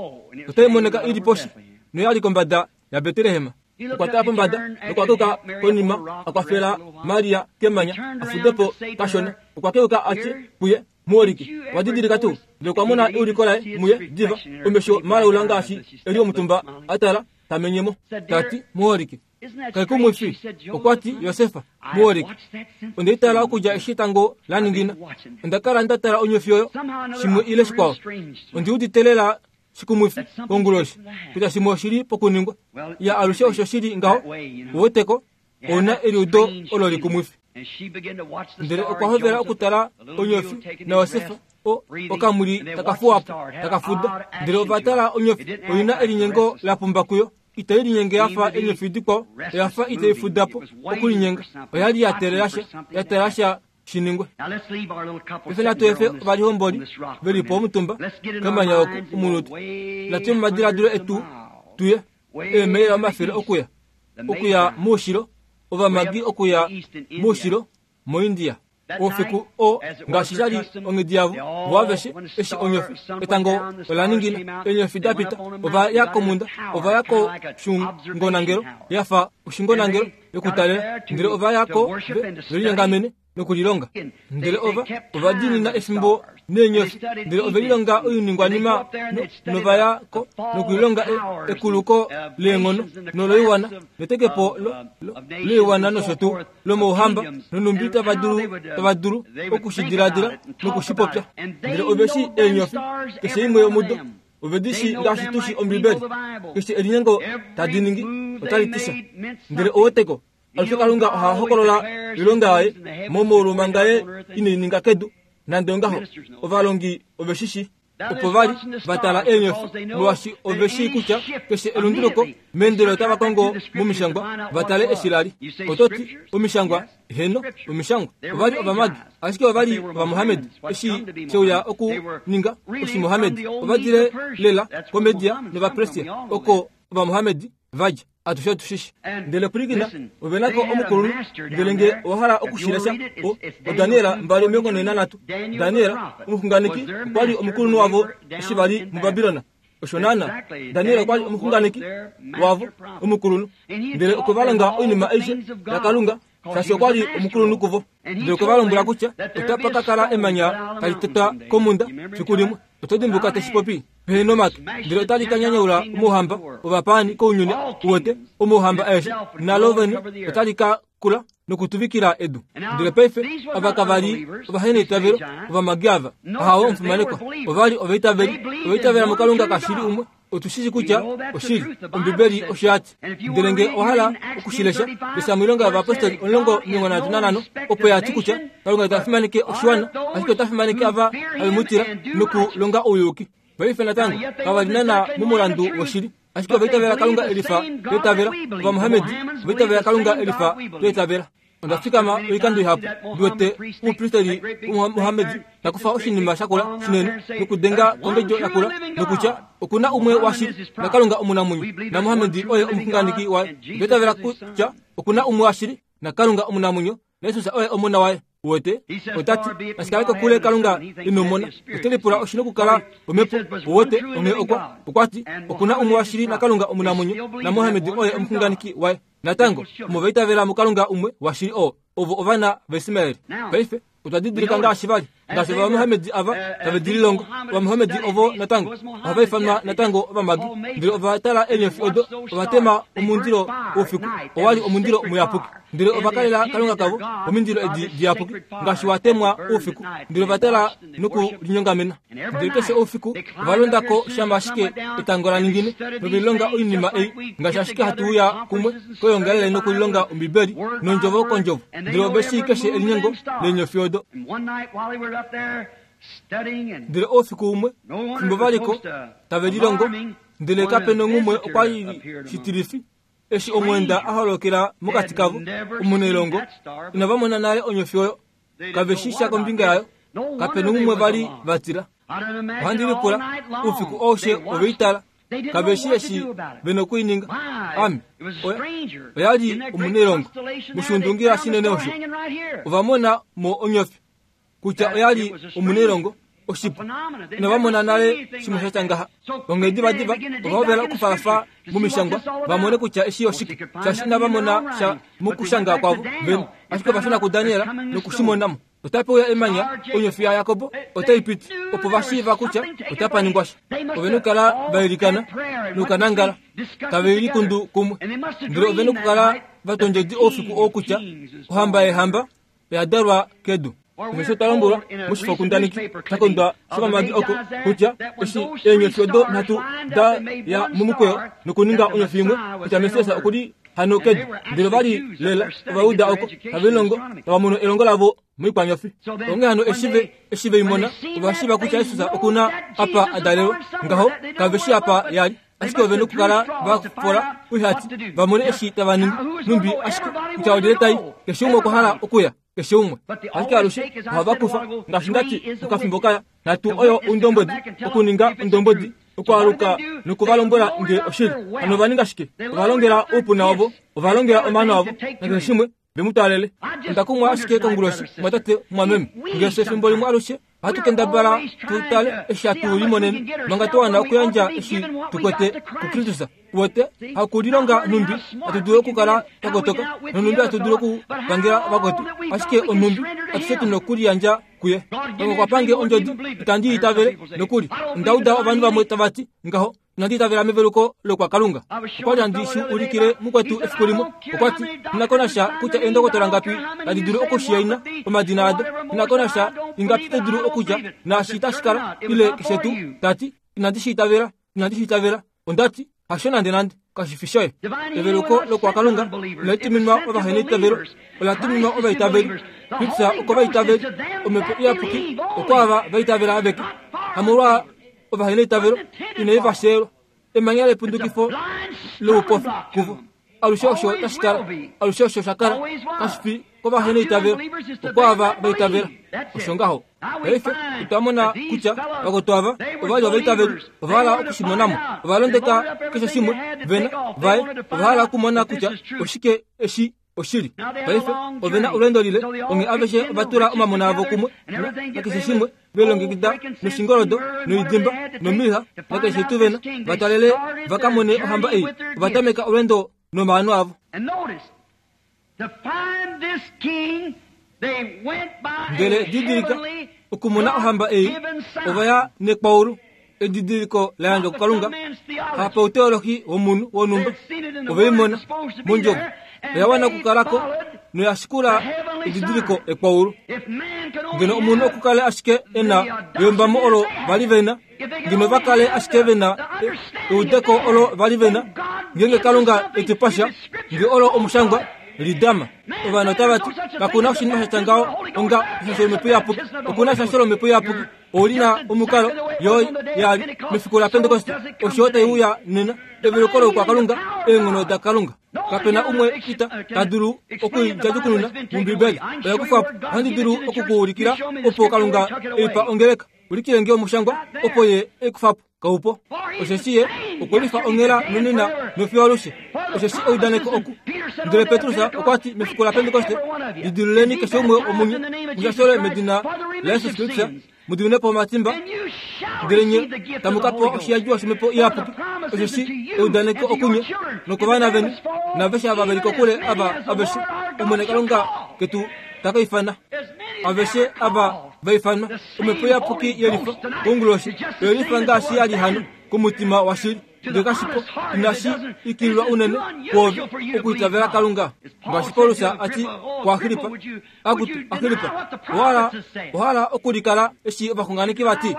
otai monika ili poshi noyali kombada yaBetlehem. Okwa tala pombada nokwa keuka konima a kwafela Maria kemanya a fude po kashona. Okwa keuka a tye kuye, muholike, owa didilika tuu? Ndele okwa mona euliko laye muye diva, omesho malaula ngaashi e li omutumba a tala ta menyemo. Ta ti, muholike, kaikumwifi. Okwa ti, Josefa, muholike, onda itala okudja eshi etango la ningina. Onda kala nda tala onyofi oyo, shimwe ile shikwao. Ondi udite lela shikumwifi konguloshi kutya shimwe oshili pokuningwa. Ya alushe osho shili ngaho, uweteko, ouna eliudo olo likumwifi. Ndele okwa hovela okutala onyofi naJosefa o okamuli takafuwapo takafuda. Ndele ova tala onyofi oina elinyengo la pumba kuyo. Itai linyenge yafa enyofi dikwao, oyafa itai fudapo okulinyenga. Oyali ya teelela sha, ya teelela sha shiningwe. Paife natu efe ovalihomboli veli po omutumba kemanya oku omunutu. Natu momadiladilo etu tuye eemaila omafele okuya okuya moushilo, ovamagi okuya moushilo moIndia. Oufiku oo ngaashi sha li onghedi yavo vo aveshe eshi onyofi etango ola ningina, eenyofi da pita, ova ya komunda, ova ya koshungonangelo yafa oshungonangelo yokutalela, ndele ova ya ko velinyongamene nokulilonga. Ndele ova ova diinina efimbo neenyofi, ndele ove lilonga oiningwanima nova ya ko nokulilonga ekuluko leenghono noloiwana netekepo loiwana nosho tuu lomouhamba nonumbi tava dulu tava dulu okushidiladila nokushipopya. Ndele ove shi eenyofi keshe imwe yomudo ove di shi ngaashi tu shi Ombibeli. Keshe elinyengo tadi ningi otali ti sha. Ndele oweteko alushe Kalunga oha hokolola oilonga yaye momaulu manga ye inai ninga kedu. Nande ongaho ovalongi ove shi shi opo vali va tala eenyofi, molwaashi ove shii kutya keshe elunduluko meendelo otava kongo momishangwa va tale eshi la li. Oto ti omishangwa? Heno, omishangwa. Ova li ovamagi, ashike ova li ovamohamedi. Eshi sheuya okuninga oshimohamedi, ova dile lela koMedia novaPersia, oko ovamohamedi vadja. Atushe otushishi. Ndele pwilikina, ove nako omukulunhu. Ndele nge owa hala okushilesha o oDaniel mbali omilongo nhee nanhatu. Daniel omuxunganeki okwa li omukulunhu wavo eshi va li muBabilona. Osho naana, Daniel okwa li omuxunganeki wavo omukulunhu. Ndele okwe va longa oinima aishe yaKalunga, shaashi okwa li omukulunhu kuvo. Ndele okwe va lombwela kutya otapa ka kala emanya tali tetwa komunda fiku limwe. Oto dimbuka teshi popi pehe nomake, ndele otali ka nyanyaula omauhamba ovapaani kounyuni uwete, omauhamba aeshe nalo vene otali ka kula nokutuvikila edu. Ndele paife ava kava li ovaheneitavelo ovamagi ava, ahawe omufimanekwa, ova li ovaitaveli, ovaitavela muKalunga kashili umwe. Otushishi kutya oshili, Ombibeli osho ya ti. Ndele nge owa hala okushilesha, lesha moilonga yovayapostoli omulongo omilongo nhatu nanhano, opo ya ti kutya Kalunga ita fimaneke oshiwana, ashike ota fimaneke ava have mu tila nokulonga ouyuki. Paife natango kava li naana momulandu woshili, ashike ovaitavela Kalunga elifa tweitavela, ovamohamedi ovaitavela Kalunga elifa tweitavela. Onda fikama oikando ihapu ndi wete omupristeli womumohamedi ta kufa oshinima shakula shinene nokudenga kongedjo yakula nokutya okuna umwe washili naKalunga omunamwenyo, naMohamedi oye omuxunganeki waye. Otwa itavela kutya okuna umwe washili naKalunga omunamwenyo, naJesus oye omona waye. Uwete? Ota ti, nashikale kokule Kalunga ino mona. Ote lipula oshi nokukala omhepo. Uwete? Onghee okwa okwa ti okuna umwe washili naKalunga omunamwenyo, naMohamedi oye omuxunganeki waye. Natango omo vaitavela muKalunga umwe washili oo, ovo ovana vaIsmaeli. Paife otwa didilika ngaashi vali ngaashi ovamohamedi ava tave di lilongo. Ovamohamedi ovo natango ohava ifanwa natango ovamagi. Ndele ova tala eenyofi odo, ova tema omundilo oufiku, owa li omundilo muyapuki. Ndele ova kalela Kalunga kavo omindilo edi diyapuki ngaashi wa temwa oufiku. Ndele ova tala nokulinyongamena. Ndele keshe oufiku ova londako shama ashike etango la ningine novelilonga oinima ei ngaashi ashike hatu uya kumwe koyoongalele nokulilonga Ombibeli nondjovo kondjovo. Ndele ove shii keshe elinyengo leenyofi odo. Ndele oufiku umwe fimbo valiko tave lilongo, ndele kape nongumwe okwa li shitilifi eshi omweenda a holokela mokati kavo omunailongo. Inava mona nale onyofi oyo, kave shi sha kombinga yayo, kape nongumwe vali va tila. Ohandi lipula oufiku aushe ove i tala, kave shi eshi ve nokuininga. Ame oya li omunailongo moshundungila shinene osho. Ova mona mo onyofi kutya oya li omunailongo Oshipu inava mona nale shimwe sha tya ngaha. Onghedi vadiva ova hovela okufaafa momishangwa va mone kutya eshi oshike, shaashi inava mona sha mokushanga kwavo vene. Ashike ova shuna kuDaniel nokushimonamo. Otape uya emanya, onyofi yaJakob otai piti, opo va shiiva kutya otapa ningwa sha. Ove na okukala va ilikana nokukanangala, tave likundu kumwe. Ndele ove na okukala va tondjedi oufiku oo kutya ohamba yeehamba oya dalwa kedu. Osho twa lombwelwa moshifokundaneki sha kondwa shopamadi oko kutya eshi eenyofi odo nhatu da ya momukweyo nokuninga onyofi imwe, kutya Messias okuli hano kedu. Ndele ovali lela Ovajuda oko tave lilongo tava mono elongo lavo moikwanyofi. Onghee hano eshi ve eshi ve i mona, ova shiiva kutya Jesus oku na apa a dalelwa. Ngaho kave shi apa yali, ashike ove na okukala va fola oihati va mone eshi tava ningi. Numbi ashike kutya olyelye tai, keshe umwe okwa hala okuya, keshe umwe. Ashike alushe ohava kufa, ngaashi ndati mokafimbo kaya, nhatu oyo oundombwedi, okuninga ondombwedi, okwaaluka nokuvalombwela nge oshili. Hano ova ninga shike? Ova longela oupuna wavo, ova longela omano avo, nakeshe shimwe ve mu twalele. Onda kumwa ashike konguloshi, mwatate mwameme, ngaashi efimbo limwe alushe ohatu kendabala tu tale eshi hatu limonene, manga twa wana okuyandja eshi tu kwete kuKristus. Uwete, hakulilonga nhumbi hatu dulu okukala twa kotoka, nonhumbi hatu dulu okupangela vakwetu, ashike onhumbi atushe tu nokuliyandja kuye. Kalunga okwa pange ondjodi, itandi itavele nokuli. Onda uda ovanhu vamwe tava ti ngaho, inandi itavela meveluko lokwaKalunga. Okwa li handi shi ulikile mukwetu efiku limwe. Okwa ti, ina ko nasha kutya eendokotola ngapi tadi dulu okushiyaina omadina ado, ina ko nasha ingapi to dulu okudja naashi tashi kala, ile keshe tuu. Ta ti, inandi shi itavela, inandi shi itavela. Onda ti, hasho nande nande, kashi fi shoye. Eveluko lokwaKalunga inali tuminwa ovaheneitavelo, ola tuminwa ovaitaveli. Kristus okovaitaveli, Omhepo Iyapuki okwaava vaitavela aveke. Hamolwa ovaheneitavelo, inai va sheyelwa. Emanya lepundukifo loupofi kuvo. Alushe osho tashi kala, alushe osho sha kala, kashi fi kovaheneitavelo, okwaava vaitavela. Osho ngaho. Paife otwa mona kutya vakwetu ava ova li ovaitaveli, ova hala okushimonamo, ova londeka keshe shimwe vena vaye, ova hala okumona kutya oshike eshi oshili. Paife ove na olweendo lile, onghee aveshe ova tula omamona avo kumwe nakeshe shimwe, ve longekida noshingoldo noidimba nomiha nakeshe tuu vena, va twalele va ka mone ohamba ei. Ova tameka olweendo nomaano avo. Ndele didilika, okumona ohamba ei, ova ya nekwaulu, edidiliko la yandjwa kuKalunga, hapauteolohi womunhu wonhumba. Ove i mona mondjovo, oya wana okukalako noya shikula edidiliko ekwaulu. Ngeno omunhu okukale ashike e na eyombamo olo vali vena, ngeno va kale ashike vena eudeko olo vali vena, ngenge Kalunga etu pasha, nge olo omushangwa lidama. Ovanhu otava ti, kakuna oshinima sha tya ngaho onga eshasho lomhepo iyapuki. Okuna eshasho lomhepo iyapuki, oli na omukalo yo yali mefiku laPentekoste, osho tai uya nena, eveluko lokwaKalunga, eenghono daKalunga. Kapena umwe ita ta dulu okuidjadjukununa mOmbibeli. Oya kufwa po. Ohandi dulu okukuulikila opo Kalunga eipa ongeleka. Ulikile nge omushangwa opo ye ekufa po. Kaupo. Osheshi ye okwe lifa onghela nonena nofiyo alushe. Osheshi eudaneko oku. Ndele Petrus okwa ti mefiku laPentekoste, lidiluleni keshe umwe womunye, mushashole medina laJesus Kristus, mu diwinepo omatimba, ndele nye tamu ka pewa oshiyadjiwa shomhepo iyapuki. Osheshi eudaneko okunye nokovana veni, naaveshe ava veli kokule, ava aveshe Omwene Kalunga ketu ta ka ifana. Aveshe ava va ifanwa, omhepo iyapuki yelifa konguloshi, oye lifa ngaashi ya li hano komutima washili. Ndele kashipo inashi ikililwa unene kwoove okuitavela Kalunga. Ngaashi Paulus a ti kuAgrippa, akutu Agrippa, owa hala okulikala eshi ovaxunganeki va ti,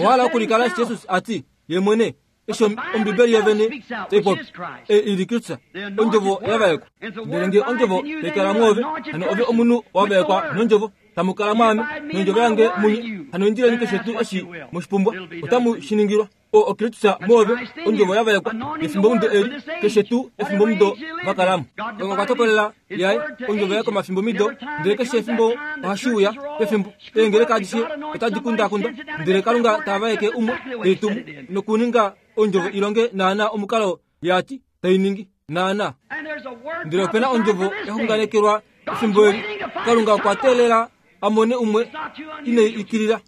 owa hala okulikala eshi Jesus a ti ye mwene, eshi Ombibeli yovene tai popi, ei ili Kristus, ondjovo ya vaekwa. Ndele nge ondjovo tai kala mwoove, hano ove omunhu wa vaekwa nondjovo, tamu kala mwaame, nondjovo yange munye, hano indileni keshe tuu eshi moshipumbwa, otamu shi ningilwa. O Okristus mwoove, ondjovo ya vaekwa, efimbomudo eli, keshe tuu efimbomudo va kalamo. Kalunga okwa tokolela yaye ondjovo yaye komafimbomido, ndele keshe efimbo ohashi uya pefimbo. Eengeleka adishe otadi kundakunda, ndele Kalunga ta vaeke umwe tei tumu nokuninga ondjovo ilonge naana omukalo yati tai ningi naana. Ndele opena ondjovo ya xunganekelwa efimbo eli. Kalunga okwa teelela a mone umwe inai ikilila.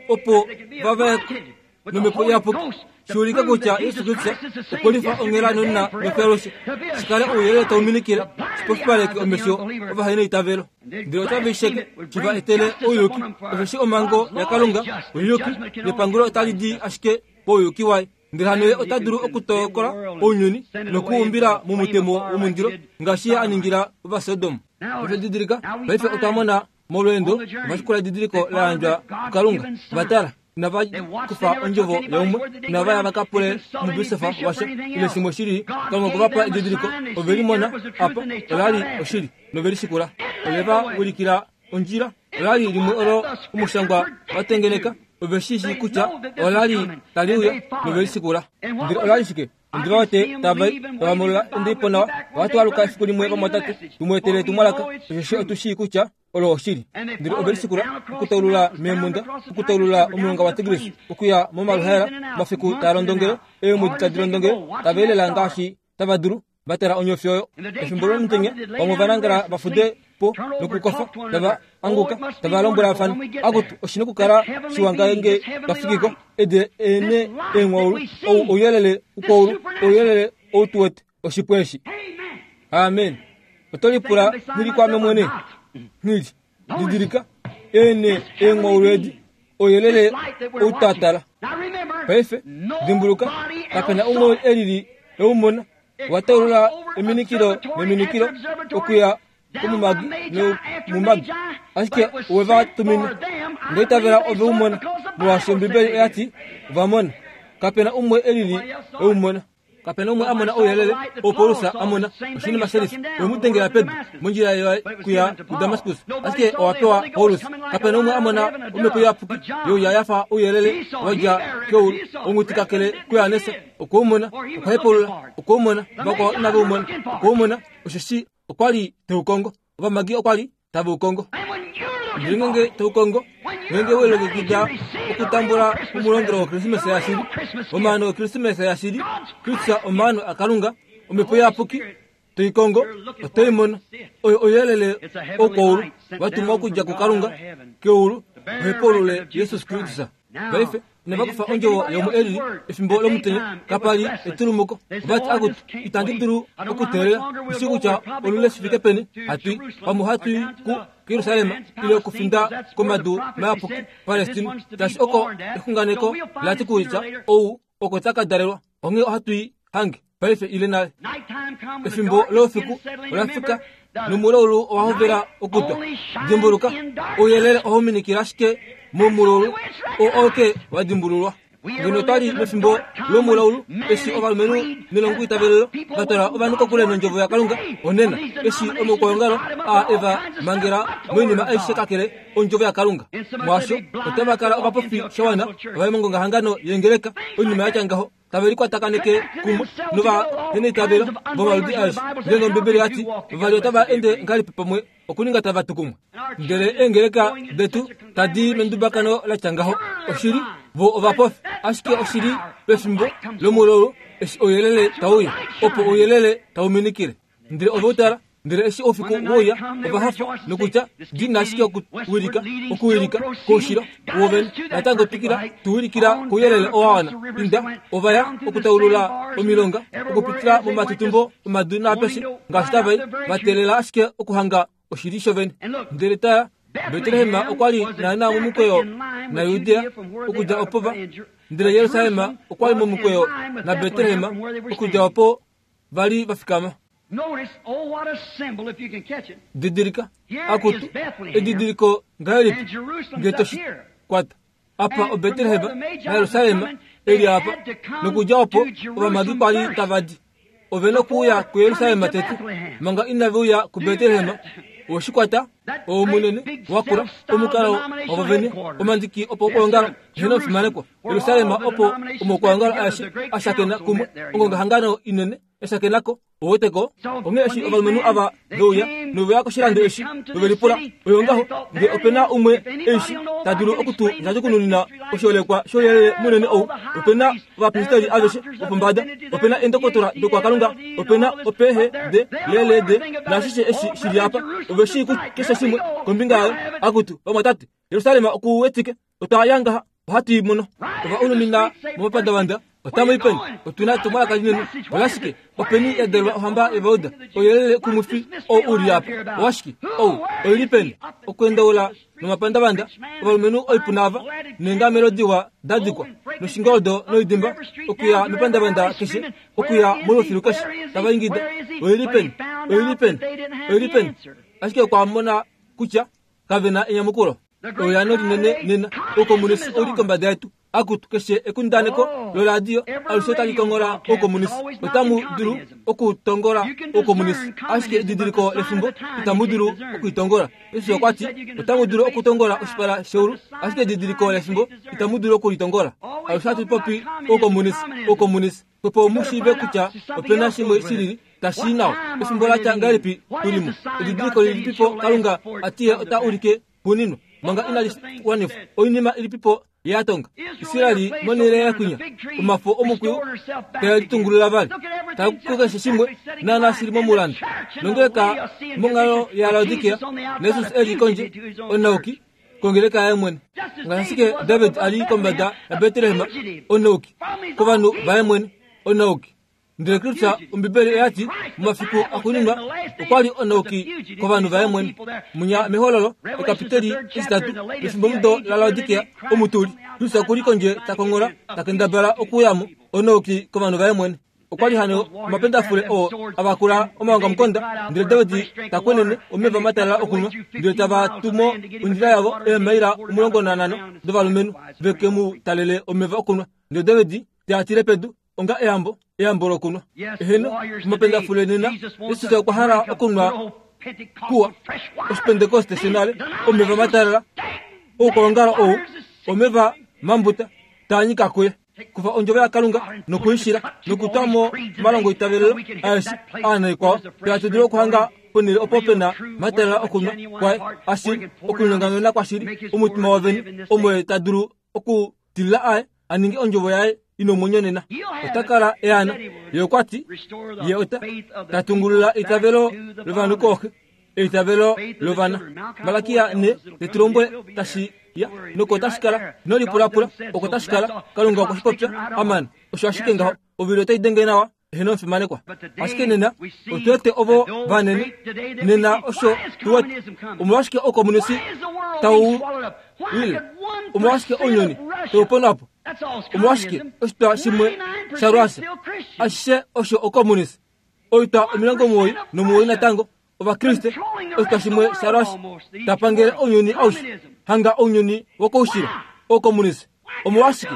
Opo vavaekwe nomhepo iyapuki shiulika kutya Yesu Kristus okwe onghela nonna nofyaloshe shikale ouyelele tauminikile shipofipaleke omesho ovahena eitavelo ndele otave sheke shiva etele ouyuki osheshi omhango yaKalunga ouyuki nepangulo otali di ashike pouyuki waye ndele hano ye ota dulu okutokola ounyuni nokuumbila momutemo womundilo ngaashi ye a ningila Ovasodom. Osho paife otwa mona molweendo vashikula edidiliko la yandjwa kuKalunga vatala inava kufa ondjovo yaumwe inava ya vakapule omubisofa washa ile shimwe shili Kalunga okuvapa edidiliko ove limona apa olali oshili novelishikula ove va wilikila ondjila olali limwe olo omushangwa watengeneka ove shishi kutya olali taliuya novelishikula ndele olali shike ndiva wete tavai tavamolola endipo nawa vatwaluka efiku limwe vamwatate tumweetele etumwalaka osheshi otushii kutya olo oshili ndele ovelisikula okutaulula meemunda okutaulula omulonga wa Tigris okuya momaluhaela mafiku taalondongele eemwedi tadilondongele taveelela ngaashi tava dulu vatala onyofi oyo efimbo lomutenya vamwe vanangala vafude po nokukofa tava anguka tava lombwelafana akutu oshina okukala shiwa ngenge twafikiko ede ene eenghwaulu ou ouyelele ukwaulu ouyelele outuwete oshipwe eshi. Amen. Oto lipula nghili kwame mwene nghili didilika ene eenghwaulu edi ouyelele outatala. Paife dimbuluka kapena umwe elili eumona wataulula eminikilo neminikilo okuya komumagi nomumagi ashike oweva tumina ndeitavela ove umona molwaashi Ombibeli oyati ovamona kapena umwe elili eumona kapena umwe amona ouyelele oo Paulus amona oshinima shelifa wemudengela pedu mondjila kuya kuDamascus ashike owapewa Paulus kapena umwe amona omhepo iyapuki youya yafa ouyelele wadja keulu onghutikakele kuYohanesa okweumona okwahepaulula okweumona vakwao inaveumona okweumona osheshi okwali teukongo ovamagi okwali taveukongo ndele ngenge teukongo ngenge welongekida okutambula omulongelo wokrismesa yashili omaano okrismesa yashili Kristus omaano aKalunga omhepo iyapuki toikongo otoimona oyo ouyelele oukwaulu watumwa okudja kuKalunga keulu ohepaulule Jesus Kristus. Paife inava kufa ondjovo yomwe elili efimbo lomutenya kapali etulumuko vati akuti itandi dulu okuteelela ishi kutya olule shifike peni hatui pamwe hatui ku Jerusalem ile okufinda komadu mayapuki Palestina tashi oko exunganeko lati kutya ou oko takadalelwa onghee ohatui hange paife ile nale. Efimbo loufiku olafika nomulaulu owahovela okutwa. Dimbuluka ouyelele ohauminikila ashike momulaulu oo oke wadimbululwa. Ngeno twali mefimbo lomulaulu eshi ovalumenhu nelongo itavelelo vatwala ovanhu kokule nondjovo yaKalunga onena eshi omaukwaongalo a eva mangela moinima aishe kakele ondjovo yaKalunga mwaasho otava kala ovapofi shawana ovai mongongahangano yengeleka oinima yatya ngaho tave likwatakaneke kumwe novaheneitavelo vomaludi aeshe. Ndele Ombibeli yati vavali otava ende ngahelipi pamwe okuninga tava tu kumwe. Ndele eengeleka detu tadi mendubakano latya ngaho oshili vo ovapofi ashike oshili pefimbo lomulaulu eshi ouyelele tauya opo ouyelele tauminikile ndele ove utala ndele eshi oufiku wouya ovahafa nokutya dina ashike okuwilika okuwilika koushilo wovene natango twikila tuwilikila kouyelele owawana inda ovaya okutaulula omilonga okupitila momatutumbo omadu naapeshe ngaashi tavai vateelela ashike okuhanga oshili shovene. Ndele tala Betlehem okwali naana momukweyo na Judea okudja opo va ndele Jerusalem okwali momukweyo na Betlehem okudja opo vali vafikama. Didilika akutu edidiliko ngahelipi nge toshi kwata apa oBetlehem na Jerusalem eli apa nokudja opo ovamagi kwali tavadi ove nokuuya kuYerusalem tete manga inaveuya kuBetlehem oshikwata omunene wakula omukalo wavovene omandiki opo okwoongala ehena ofimanekwa Yerusalem opo omokwoongala aeshe ashakena kumwe ongongahangano inene eshakenako oweteko onghee eshi ovalumenhu ava veuya noveya koshilando eshi novelipula oyo ngaho nge opena umwe eshi tadulu okutu ndjadjukununina oshiolekwa shouyelele munene ou opena ovapristeri aveshe vopombada opena eendokotola dokwakalunga opena opehe de lelede nashishe eshi shili apa ove shii keshe shimwe kombinga yayo akutu vamwatate Yerusalem okuwetike otwa yangaha Ohatu i mono. Ova unumina momapandavanda. Otamu i peni? Otu na etumwalaka linene. Olashike? Openi ya dalelwa ohamba yOvayuda? Ouyelele kumwifi ou u li apa. Owashike? Ou oi li peni? Okwendaula nomapandavanda, ovalumenhu oipuna ava, neengamelo diwa da dikwa, noshingoldo noidimba, okuya mepandavanda keshe, okuya molufilu keshe, tava ingida, oi li peni? Oi li peni? Oi li peni? Ashike okwa mona kutya kave na enyamukulo. Ouyano linene nena, oukomunisi ou li kombada yetu. Akutu keshe ekundaneko loradio alushe tali kongola oukomunisi. Otamu dulu okutongola oukomunisi, ashike edidiliko lefimbo itamu dulu okuitongola. Jesus okwa ti otamu dulu okutongola oshipala sheulu, ashike edidiliko lefimbo itamu dulu okulitongola. Alushe hatu popi oukomunisi, oukomunisi, opo mu shiive kutya opena shimwe shilili tashi nawa. Efimbo la tya ngahelipi tulimo? Edidiliko lilipipo Kalunga atiye ota ulike xuuninwa manga inali wanifwa? Oinima ilipipo yatonga? Israeli monhele yakwinya omafo omukwiyu tae litungulula vali, takukeshe shimwe naana shili momulanda. Nongeleka monghalo yaLaodikea, Jesus e li kondje onauki kongeleka yaye mwene. Ngaashi ashike David a li kombada yaBetlehem onauki kovanhu vaye mwene onauki. Ndele Kristus, Ombibeli oya ti momafiku axuuninwa okwa li onauki kovanhu vaye mwene. Munya mehololo ekapiteli etitatu lefimbomudo laLaodikea omutuli, Kristus okuli kondje ta kongola, ta kendabala okuyamo onauki kovanhu vaye mwene. Okwa li hano omapendafule oo avakula omaongamukonda, ndele David ta kwenene omeva matalala okunwa, ndele tava tumo ondjila yavo eemaila omulongo nanhano dovalumenhu veke mu talele omeva okunwa. Ndele David te a tile pedu onga eyambo, eyambo lokunwa. Eheno, omapendafule nena, Jesus okwa hala okunwa kuwa oshipentekoste shenale, omeva matalala oukolongalo ou, omeva mambuta taa nyika kuye. Kufa ondjovo yaKalunga nokuishila nokutwa mo omalongo itavelelo aeshe aanaikwao, hatu dulu okuhanga ponhele opo pena matalala okunwa kwaye ashili, okulinyongamena kwashili omutima wovene, omo ye ta dulu okutilila aye a ninge ondjovo yaye ina omwenyo nena. Ota kala eana. Ye okwa ti ye ota ta tungulula eitavelo lovanhu kooxe, eitavelo lovana. Malakia ne te tu lombwele tashi ya noko tashi kala, ino lipulapula oko tashi kala. Kalunga okwe shi popya. Aman. Osho ashike ngaho. Ovili otai denge nawa, eheno omufimanekwa. Ashike nena otu wete ovo vanene nena osho tu wete. Omolwashike oukomunisi tau wile? Omolwashike ounyuni tau ponwa po? Omolwashike oshitwa shimwe shaRussia ashishe osho oukomunisi? Oitwa omilongo omuwoi nomuwoi natango Ovakriste, oshitwa shimwe shaRussia ta pangele ounyuni aushe, hanga ounyuni wokoushilo, oukomunisi. Omolwashike?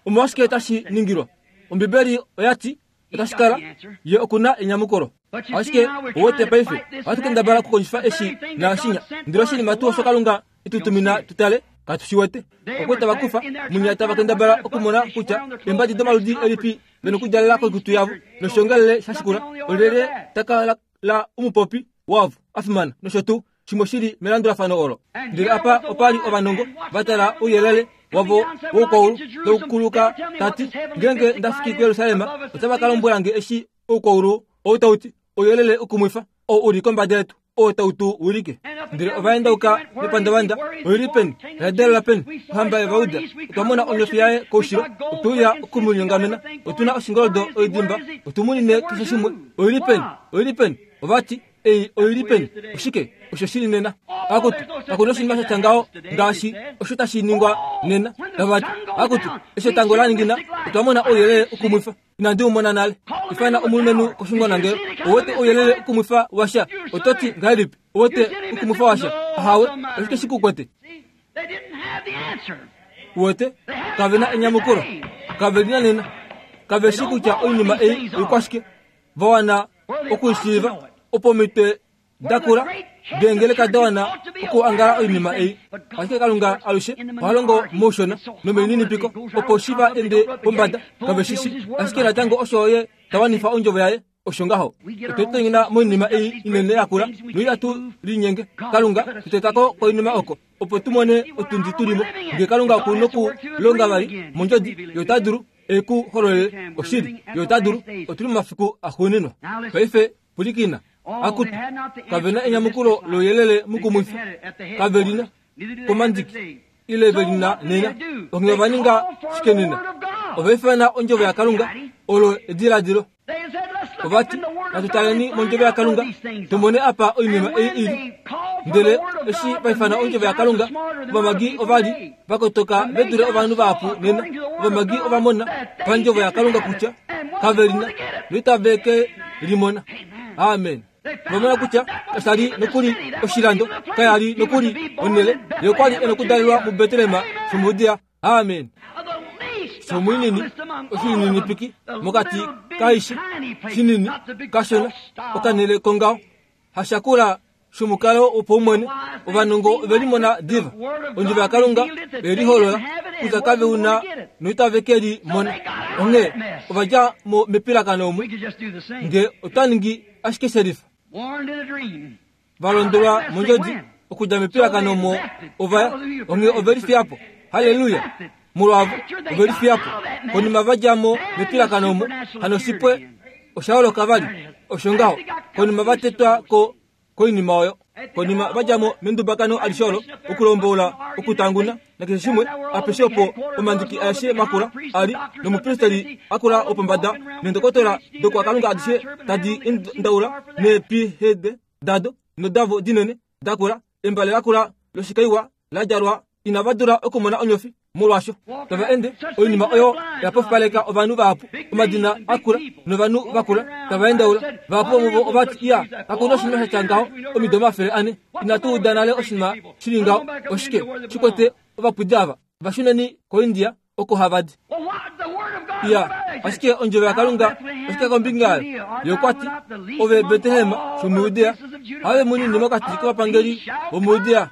Omolwashike tashi ningilwa? Ombibeli oya ti otashi kala, ye okuna enyamukulo. Ashike owete paife ohatu kendabala okukondjifa eshi naashinya, ndele oshinima tuu osho Kalunga etutumina tutale katu shi wete. Okwe tava kufa munya tava kendabala okumona kutya eembadi domaludi elipi vena okudjalela koikutu yavo, noshiongalele sha shikula olyelye ta kala la omupopi wavo a fimana nosho tuu shimwe shili melandulafano olo. Ndele apa opa li ovanongo va tala ouyelele wavo woukwaulu taukuluka tati, ngeenge nda fiki kuJerusalem otava ka lombwela nge eshi oukwaulu ou tau ti, ouyelele ukumwifa ou u li kombada yetu oo tau tu wilike. Ndele ova endauka mepandavanda, oi li peni? Oya dalela peni? Ohamba yOvayuda. Otwa mona onyofi yaye koushilo, otwe uya oku mu linyongamena. Otu na oshingoldo oidimba, otu munine keshe shimwe. Oi li peni? Oi li peni? Ova ti, ei oi li peni? Oshike osho shili nena? Akutu, kaku na oshinima sha tya ngaho ngaashi osho tashi ningwa nena. Tava ti, akutu, eshi etango la ningina, otwa mona ouyelele ukumwifa. Inandi u mona nale. Ifana omulumenhu koshungonangelo. Owete ouyelele ukumwifa washa? Oto ti ngahelipi? Owete ukumwifa washa? Ahawe, oshike shi ku kwete? Uwete, kave na enyamukulo. Kave lina nena. Kave shi kutya oinima ei oikwashike. Va wana okuishiiva opo omitwe dakula deengeleka da wana okuangala oinima ei. Ashike Kalunga alushe oha longo moushona nomelininipiko opo shi va ende pombada. Kave shi shi. Ashike natango osho ye ta wanifa ondjovo yaye. Osho ngaho. Otwe litonyena moinima ei inene yakula noihatu linyenge. Kalunga tutetako koinima oko opo tu mone otundi tulimo. Nge Kalunga oku nokulonga vali mondjodi, ye ota dulu e ku hololele oshili. Ye ota dulu. Otuli momafiku axuuninwa. Paife pwilikina. Akutu, kave na enyamukulo louyelele mukumwifi. Kave lina komandiki. ile ve lina nena. Onghee ova ninga shike nena? Ova ifana ondjovo yaKalunga olo ediladilo. Ovati natu taleni mondjovo yaKalunga tumone apa oinima ei ili. Ndele eshi va ifana ondjovo yaKalunga, ovamagi ova li vakotoka ve dule ovanhu vahapu nena. Ovamagi ova mona pandjovo yaKalunga kutya kave lina noitave ke limona. Amen. Vamona kutya kasha li nokuli oshilando, kaya li nokuli onhele, ye okwa li e nokudalelwa muBetlehem shomuJudea. Amen. Shomuinini oshininipiki mokati kaishe shinini kashona okanhele kongaho hashakula shomukalo wopaumwene. Ovanongo ove limona diva ondjovo yaKalunga oye liholola kutya kave una noitave ke li mona. Onghee ova dja mo mepilakano omu nge ota ningi ashike shelifa. Valondolwa mondjodi okudja mepilakano omo ovaya. Onghee ove lifiya po. Haleluya! Molwavo ove lifiya po. Konima va dja mo mepilakano omo, hano oshipwe osha holoka vali. Osho ngaho konima va tetwa ko koinima oyo. Konima va dja mo mendubakano alishe olo, okulombola, okutanguna nakeshe shimwe, apeshe opo omandiki aeshe makula ali nomupristeli akula opombada neendokotola dokwakalunga adishe tadi ndaula neepihede dado nodavo dinene dakula, embale lakula loshikaiwa la djalwa, inava dula okumona onyofi molwaasho tava ende oinima oyo yapofipaleka ovanhu vahapu, omadina akula novanhu vakula tava endaula. Vahapu vomuvo ovati iya kakuna oshinima shatya ngaho omido omafele ane, inatu uda nale oshinima shili ngaho. Oshike shikwete ovapwidi ava? Vashuneni koIndia oko hava di. Iya, ashike ondjovo yaKalunga oshike kombinga yayo? Ye okwa ti, ove Betlehem shomuJudea, have munini mokati kovapangeli vomuJudea,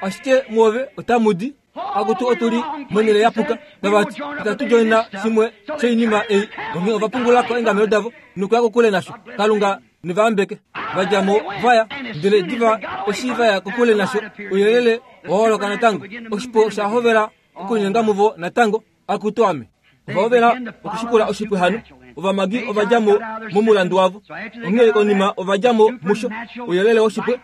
ashike muove otamu di. Akutu otuli monhele yapuka. Tavati itatu joina shimwe shoinima ei. Onghee ova pungulako eengamelo davo nokuya kokule nasho. Kalunga nevayambeke. Vadja mo vaya, ndele diva eshi vaya kokule nasho, ouyelele owa holoka natango. Oshipo osha hovela okunyenga muvo natango. Akutu ame. Ova hovela okushikula oshipwe hano. Ovamagi ova dja mo momulandu wavo. Onghee konima ova dja mo musho, ouyelele woshipwe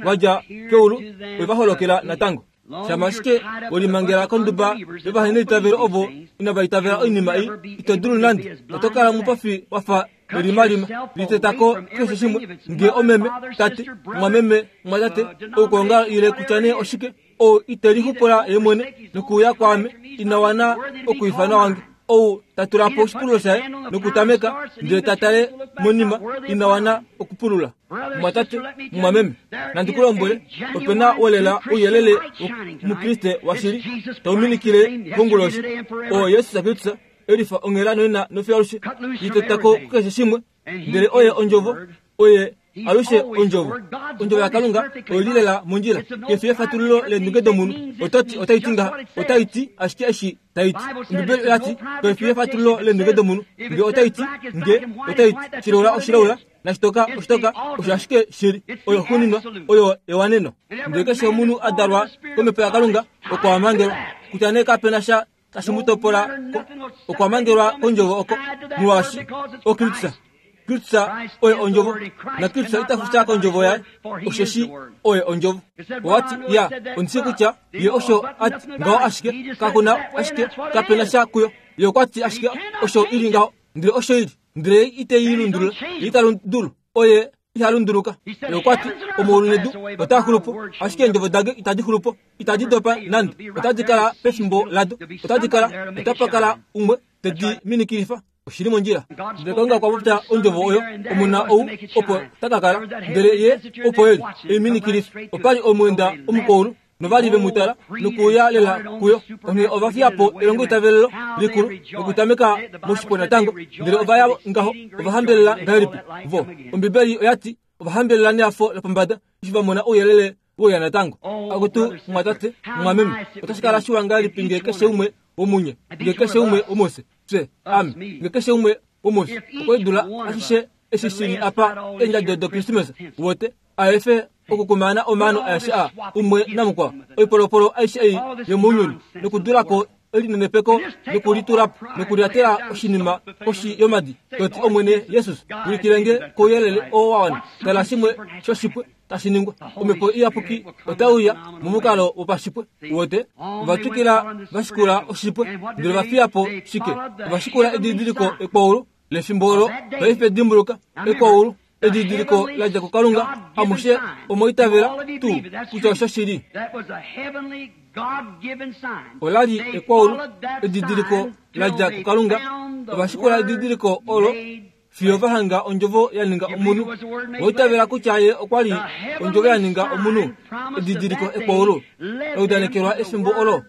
wa dja keulu we va holokela natango. Shama ashike welimangela konduba yovaheneitavelo ovo inava itavela oinima ei, ito dulu nande. Oto kala mupofi wafa elimalima litetako keshe shimwe, nge omeme, tate, mwameme, mwatate, oukwonga ile kutya nee oshike, ou ite lixupula ye mwene nokuuya kwaame, ina wana okwiifanwa wange. Ou ta tula po oshipululo shaye nokutameka ndele ta tale monima, ina wana okupulula. Mwatate, mwameme, nandi ku lombwele, ope na wolela ouyelele womukriste washili tau minikile konguloshi. Oo Jesus Kristus elifa onghela nonena nofiyo alushe, litetako kukeshe shimwe, ndele oye ondjovo, oye alushe ondjovo. Ondjovo yaKalunga oili lela mondjila. Kefi efatululo leendunge domunhu. Ototi otai ti ngaha, otai ti ashike eshi tai ti. Ombibeli oya ti kefi efatululo leendunge domunhu. Nge otai ti, nge otai ti shilaula oshilaula, nashitoka oshitoka, osho ashike shili. Oyo xuuninwa, oyo ewaneno. Ndele keshe omunhu a dalwa komhepo yaKalunga okwa mangelwa, kutya nee kapena sha tashi mu topola okwa mangelwa kondjovo oko, molwaashi oKristus. Kristus oye ondjovo, na Kristus ita fusha kondjovo yaye, osheshi oye ondjovo. Owati ya ondishi kutya ye osho ati ngaho ashike kakuna ashike kapena sha kuyo. Ye okwa ti ashike osho ili ngaho, ndele osho ili, ndele ite i lundulula, ye ita dulu, oye iha lunduluka. Ye okwa ti omaulu nedu otaa xulu po, ashike eendjovo dange itadi xulu po, itadi dopa nande, otadi kala pefimbo lado, otadi kala, otapa kala umwe tedi minikilifa. Oshili mondjila. Ndele Kalunga okwa popya ondjovo oyo, omuna ou opo taka kala, ndele ye opo eli eiminikilifa. Opa li omweenda omukwaulu novali ve mu tala nokuuya lela kuyo. Onghee ova fiya po elongoitavelelo likulu nokutameka moshipwe natango, ndele ova ya ngaho. Ova hambelela ngahelipi vo? Ombibeli oya ti ova hambelela nehafo lopombada eshi va mona ouyelele wouya natango. Akutu mwatate, mwameme, otashi kala shiwa ngahelipi nge keshe umwe womunye, nge keshe umwe womufye, fye, ame, nge keshe umwe womufye okwe dula ashishe eshi shili apa eendjado doKrismesa, wote aefe okukumana omano aeshe a umwe namukwao, oipolopolo aishe ei yomounyuni nokudulako elinenepeko nokulitulapo nokulyatela oshinima koshi yomadi toti Omwene Jesus ulikilenge kouyelele oo wa wana tala shimwe shoshipwe tashi ningwa omhepo iyapuki otauya momukalo wopashipwe wote ovatwikila vashikula oshipwe ndele vafiyapo shike ovashikula edidiliko ekwaulu lefimbo olo paife dimbuluka ekwaulu edidiliko ladja kuKalunga amushe omoitavela tuu kutya osho shili olali ekwaulu edidiliko ladja kuKalunga ovashikula edidiliko olo fiyo vahanga ondjovo ya ninga omunhu oitavela kutya ye okwa li ondjovo ya ninga omunhu edidiliko ekwaulu laudanekelwa efimbo olo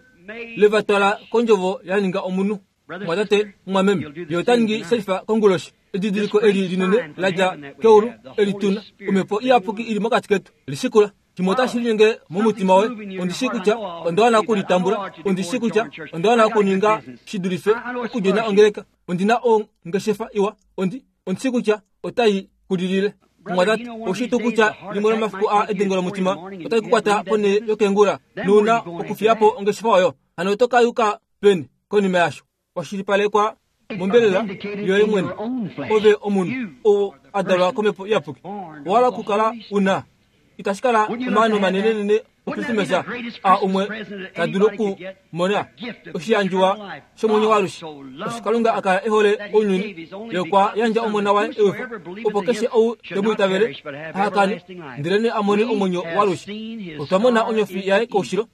levatwala kondjovo ya ninga omunhu mwatate mwameme ye ota ningi selifa konguloshi edidiliko eli linene ladja keulu elituna omhepo iyapuki ili mokati ketu lishikula shimwe otashi linyenge momutima woye ondishi kutya onda wana okulitambula ondishi kutya onda wana okuninga shidulife okudjena ongeleka ondina ongeshefa iwa ondi ondishi kutya otai kulilile mwatate oshitu kutya limwe lomafiku a edengo lomutima otai kukwata ponhele yokengula nouna okufiyapo ongeshefa oyo hano oto kayuka peni konima yasho washilipalekwa mombelela yoye mwene ove omunhu oo a dalwa komhepo iyapuki owala okukala una itashi kala omaano manenenene okrisimesa a umwe ta dulu okumona oshiyandjiwa shomwenyo waalushe osho Kalunga akala ehole ounyuni ye okwa yandja omona waye ewifa opo keshe ou te mu itavele ahakane ndelene a mone omwenyo waalushe otwa mona onyofi yaye koushilo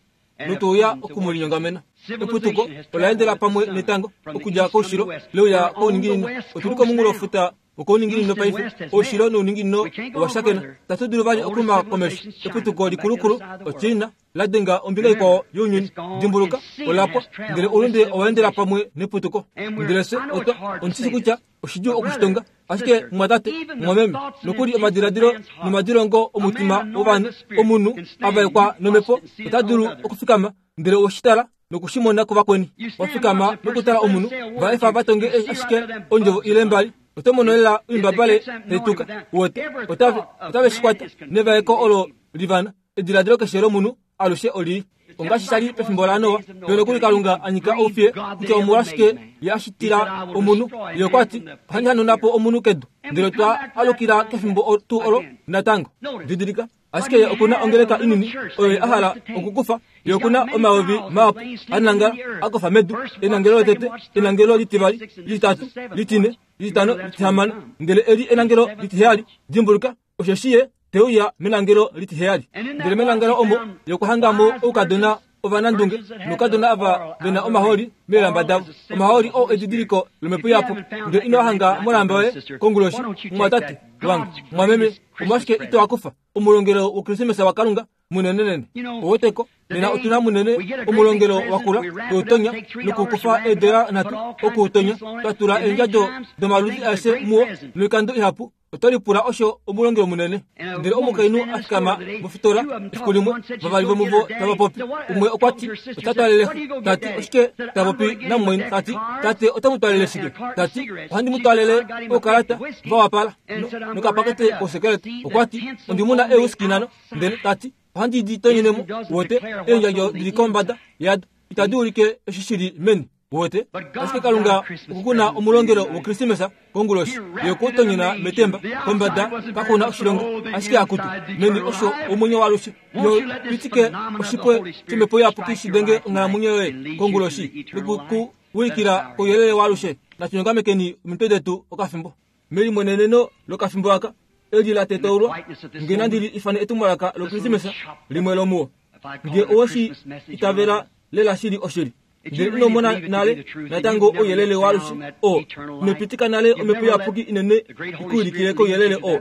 notouya okumulinyongamena eputuko ola endela pamwe netango okudja koushilo leuya kouninginino otuli komunghulofuta okouninginino paife oushilo nouninginino owashakena tatu dulu vali okuluma komesho eputuko likulukulu oChina ladenga ombinga ikwao younyuni dimbuluka olapwa ndele oulunde owa endela pamwe neputuko ndele se otwa ondisisi kutya oshidjuu okushitonga ashike mwatate mwameme nokuli omadiladilo nomadilongo omutima wovanhu omunhu avaekwa nomhepo ota dulu okufikama ndele oshitala nokushimona kuvakweni wafikama nokutala omunhu va efa vatonge ashike ondjovo ile mbali oto mono lela oimbabale taituka wote otave otave shikwata nevaeko olo livana ediladilo keshe lomunhu alushe olii ongaashi shali pefimbo laNoa peno kuli Kalunga anyika oufiye kutya omolwashike ye ashitila omunhu ye okwa ti ohandi hanauna po omunhu kedu ndele twa alukila kefimbo tuu olo natango didilika ashike ye okuna ongeleka inini oyo ye a hala okukufa ye okuna omayovi mahapu anangala akofa medu enangelo lotete enangelo litivali lititatu litine lititano litihamano ndele eli enangelo litiheyali dimbuluka osheshi ye teuya menangelo litiheyali ndele menangelo omo yokuhangamo oukadona ovanandunge noukadona ava vena omaholi meelamba davo omaholi oo edidiliko lomhepo iyapuki ndele ino hanga molamba yoye konguloshi mwatate wange mwameme omolwashike ito akufa omulongelo wokrisimesa waKalunga munenenene oweteko nena otuna munene omulongelo wakula toutonya nokukufa eedola nhatu okuutonya twatula eendjadjo domaludi aeshe muwo noikando ihapu oto lipula osho omulongelo munene ndele omukainhu a fikama mofitola efiku limwe vavali vomuvo tava popi umwe okwa ti ota twalele tati oshike ta popi namumwaina tati tate ota mu twalele shike tati ohandi mu twalele oukalata vawapala nokapakete kousekeleta okwa ti ondimuna eewhiskey nhano ndele tati ohandi di tonyenemo wote eendjadjo dili kombada yado itadi ulike eshi shili meni wote ashike Kalunga okukuna omulongelo wokrisimesa konguloshi ye okutonyena metemba kombada kakuna oshilongo ashike akutu meni osho omwenyo waalushe yo pitike oshipwe shomhepo iyapuki shidenge onghalamwenyo yoye konguloshi nokukuwilikila kouyelele waalushe natunyongamekeni omitwe detu okafimbo melimweneneno lokafimbo aka eli la tetaulwa nge nandili ifane etumwalaka lokrisimesa limwe lomuwo nge oweshi itavela lela shili oshili ndele ino mona nale natango ouyelele waalushe o inopitika nale omhepo iyapuki inene ikuulikile kouyelele o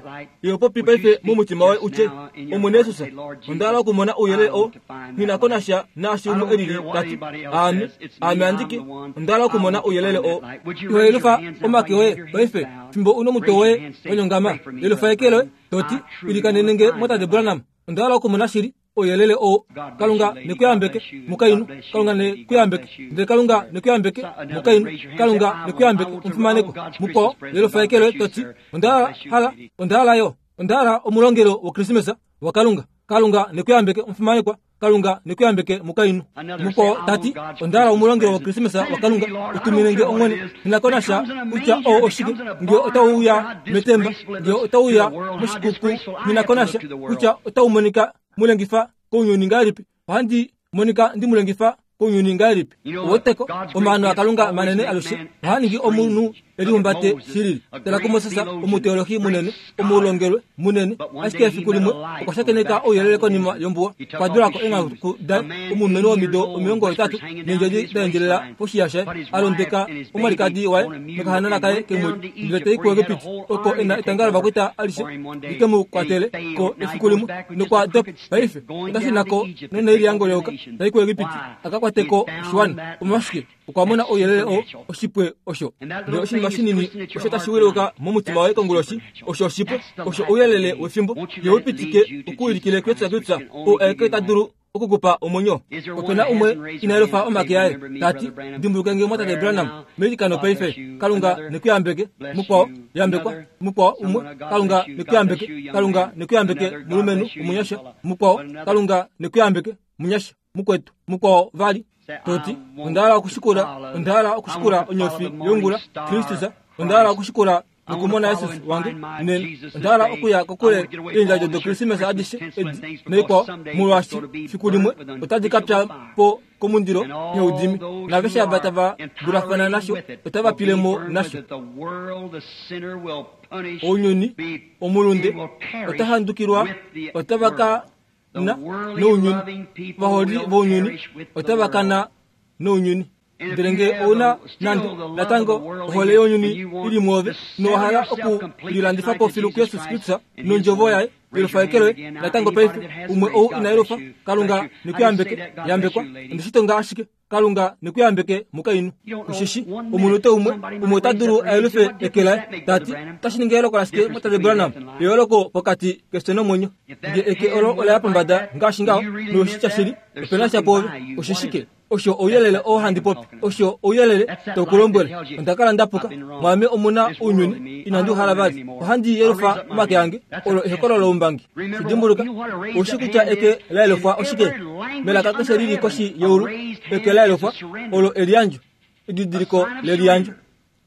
ye popi paife momutima woye utye Omwene Yesus onda hala okumona ouyelele o nghi ko nasha naashi umwe elili tati aame aame andike onda hala okumona ouyelele o ihoyelufa omake oye paife fimbo uno omutwe woye wanyongama yelufa eke loye toti ilikanenenge mwatate Branham onda hala okumona shili ouyelele oo Kalunga nekuyambeke mukainhu Kalunga nekuyambeke ndele Kalunga nekuyambeke mukainhu Kalunga nekuyambeke omufimaneko mukwao yelufa eke loye toti onda hala onda hala yo onda hala omulongelo wokrisimesa waKalunga Kalunga nekuyambeke omufimanekwa Kalunga nekuyambeke mukainhu. Mukwao tati onda hala omulongelo wokrismesa waKalunga utumine nge Omwene. Nghi na ko nasha kutya oo oshike, nge otau uya metemba, nge otau uya moshikuku, nghi na ko nasha kutya otau monika mulengifa kounyuni ngahelipi, ohandi monika ndimulengifa kounyuni ngahelipi. Oweteko omaano aKalunga manene alushe ohaa ningi omunhu elihumbate shilili. Tala kuMoses, omuteolohi munene, omulongelwe munene, ashike efiku limwe okwa shakeneka ouyelele konima yombuwa. Okwa dulako eenghaku daye, omulumenhu womido omilongo hetatu neendjedi da endjelela poshiya shaye, a londeka omwalikadi waye nokahanana kaye kemwedi, ndele tai kuEgipiti oko e na etanga lovakwaita alishe li ke mu kwatele ko efiku limwe, nokwa dopa. Paife ota shuna ko noneiliango leyoka, tai kuEgipiti a ka kwate ko oshiwana. Omolwashike? Okwa mona ouyelele oo, oshipwe osho. Ndele oshinima shinini osho tashi wiluka momutima woye konguloshi, osho oshipwe, osho ouyelele wefimbo. Ye u pitike okuulikile kuYesu Kristus, oo aeke ta dulu okukupa omwenyo. Ope na umwe ina yelufa omake aye, tati dimbuluke nge mwatate Branham meilikano paife. Kalunga nekuyambeke. Mukwao yambekwa. Mukwao umwe, Kalunga nekuyambeke. Kalunga nekuyambeke mulumenhu omunyasha. Mukwao, Kalunga nekuyambeke munyasha mukwetu. Mukwao vali toti onda hala okushikula, onda hala okushikula onyofi yongula Kristus, onda hala okushikula nokumona Jesus wange nena, onda hala okuya kokule eendjadjo doKrismesa adishe edi noikwao, molwaashi fiku limwe otadi ka pya po komundilo yeudimi, naaveshe ava tava dulafana nasho otava pile mo nasho. Ounyuni omulunde ota handukilwa, otava ka na nounyuni. Ovaholi vounyuni otava kana nounyuni. Ndele nge ouna nande natango ohole younyuni ili mwoove, nowa hala okulilandifa po filu kuYesus Kristus nondjovo yaye, yelufa eke loye natango paife. Umwe ou ina yelufa, Kalunga nekuyambeke. Yambekwa. Ondeshi tonga ashike. Kalunga nekuyambeke mukainhu. Osheshi omunute umwe, umwe ota dulu a yelufe eke laye, tati otashi ningi eyooloko lashike mwatate Branham, eyooloko pokati kefyo nomwenyo. Nge eke olo ola ya pombada ngaashi ngaho, noshitya shili, ope na sha pwoove. Oshishike? Osho ouyelele oo handi popi, osho ouyelele tau ku lombwele. Onda kala nda puka, mwaame omu na ounyuni, inandi u hala vali. Ohandi yelufa omake ange, olo ehokololo loumbangi. Shidimbuluka, oushi kutya eke la yelufwa oshike? Melaka keshe lili koshi yeulu, eke la yelufwa olo eliyandjo, edidiliko leliyandjo.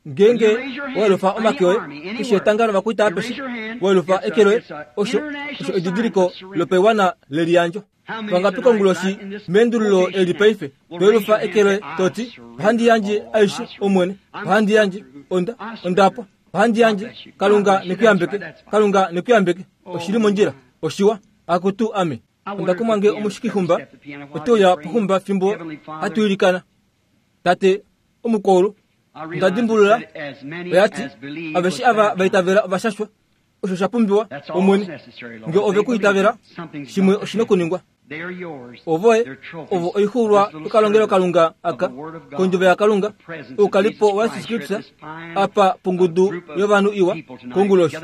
Ngeenge wa yelufa omake oye, keshe etanga lovakwaita apeshe, wa yelufa eke loye, osho osho edidiliko lopaiwana leliyandjo. Vangapi konguloshi meendululo eli paife to yelufa eke loye toti ohandi yandje aishe Omwene, ohandi yandje, onda ondapwa, ohandi yandje. Kalunga nekuyambeke. Kalunga nekuyambeke. Oshili mondjila, oshiwa. Akutu ame. Onda kumwa nge omushikixumba ote uya poxumba fimbo hatu ilikana. Tate omukwaulu, onda dimbulula oyati aveshe ava vaitavela ovashashwa. Osho sha pumbiwa Omwene. Nge ove ku itavela, shimwe oshina okuningwa. Ovoye ovo oixuulwa yokalongelokalunga aka kondjovo yaKalunga, oukalipo waYesus Kristus apa pongudu yovanhu iwa konguloshi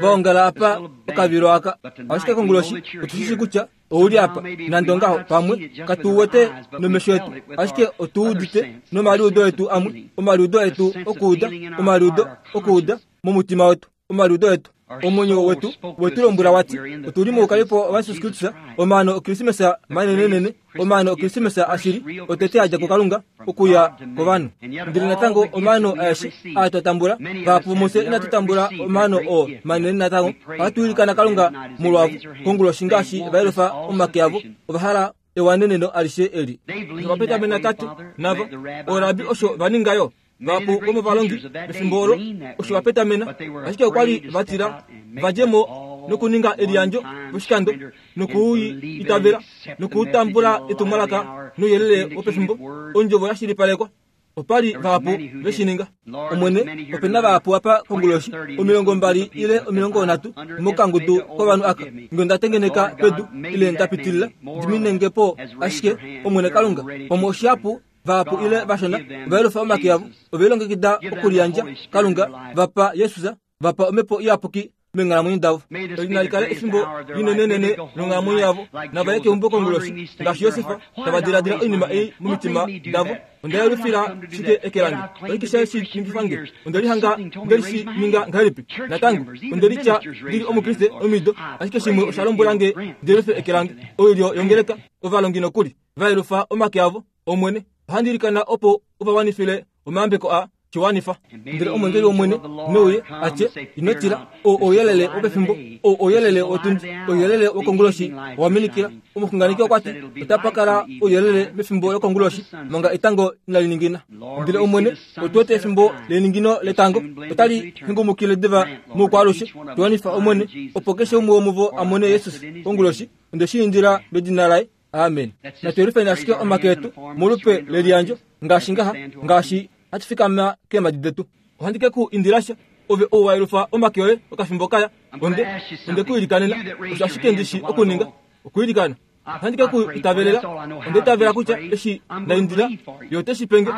vaongala apa okavilo aka. Ashike konguloshi otushishi kutya ouli apa, nande ongaho pamwe katu wete nomesho etu, ashike otu udite nomaliudo etu amwe, omaliudo etu okuuda, omaliudo okuuda momutima wetu, omaliudo etu, omwenyo wetu wetu lombwela wati otuli moukalipo waYesus Kristus, omaano oKrismesa manenenene, omaano oKrismesa ashili, otete adja kuKalunga okuya kovanhu. Ndele natango omaano aeshe aa twa tambula, vahapu mufye inatu tambula omaano oo manene natango. Ohatu ilikana Kalunga molwavo konguloshi ngaashi va yelufa omake avo, ova hala ewaneneno alishe eli. Ovapetamena tate navo orabi osho va ninga yo. Vahapu vomovalongi pefimbo olo osho va petamena, ashike okwa li va tila va dje mo nokuninga eliyandjo poshikando nokuitavela nokutambula etumwalaka nouyelele wopefimbo, ondjovo ya shilipalekwa. Opa li vahapu ve shi ninga. Omwene, ope na vahapu apa konguloshi, omilongo mbali ile omilongo nhatu mokangudu kovanhu aka. Nge onda tengeneka pedu ile nda pitilila, diminenge po ashike Omwene Kalunga. Pamwe oshihapu vahapu ile vashona ova yelufa omake avo, ove lilongekida okuliyandja. Kalunga, vapa Jesus, vapa omhepo iyapuki menghalamwenyo davo. Inali kala efimbo linenenene longhalamwenyo yavo, nava ye keumbo konguloshi ngaashi Josefa, tava diladila oinima ei momitima davo. Onda yelufila shike eke lange, oshike sha shi ningifa nge, onda lihanga ndeli shi ninga ngahelipi? Natango onda litya ndili omukriste omido, ashike shimwe osha lombwela nge ndi yelufe eke lange. Oilyo yongeleka ovalongi nokuli va yelufa omake avo. Omwene, ohandi ilikana opo uvawanifile omayambeko a chiwanifa. Ndele omwengeli womwene nouye atye, ino tila, o ouyelele wopefimbo, o ouyelele wotundi, ouyelele wokonguloshi waminikila. Omuxunganeki okwati otapa kala ouyelele mefimbo lokonguloshi manga etango inali ningina. Ndele omwene, otu wete efimbo leningino letango otali hengumukile diva moukwalushe. Tuwanifa omwene, opo keshe umwe womuvo amone Jesus konguloshi. Onde shi indila medina laye, amen. Natu yelufeni ashike omake etu molupe leliyandjo ngaashi ngaha, ngaashi hatu fikama keemadi detu. Ohandi ke ku indilasha ove ou wa yelufa omake oye okafimbo kaya, onde onde ku ilikanena. Osho ashike ndishi okuninga, okuilikana. Ohandi ke ku itavelela. Onde itavela kutya eshi nda indila ye ote shi penge,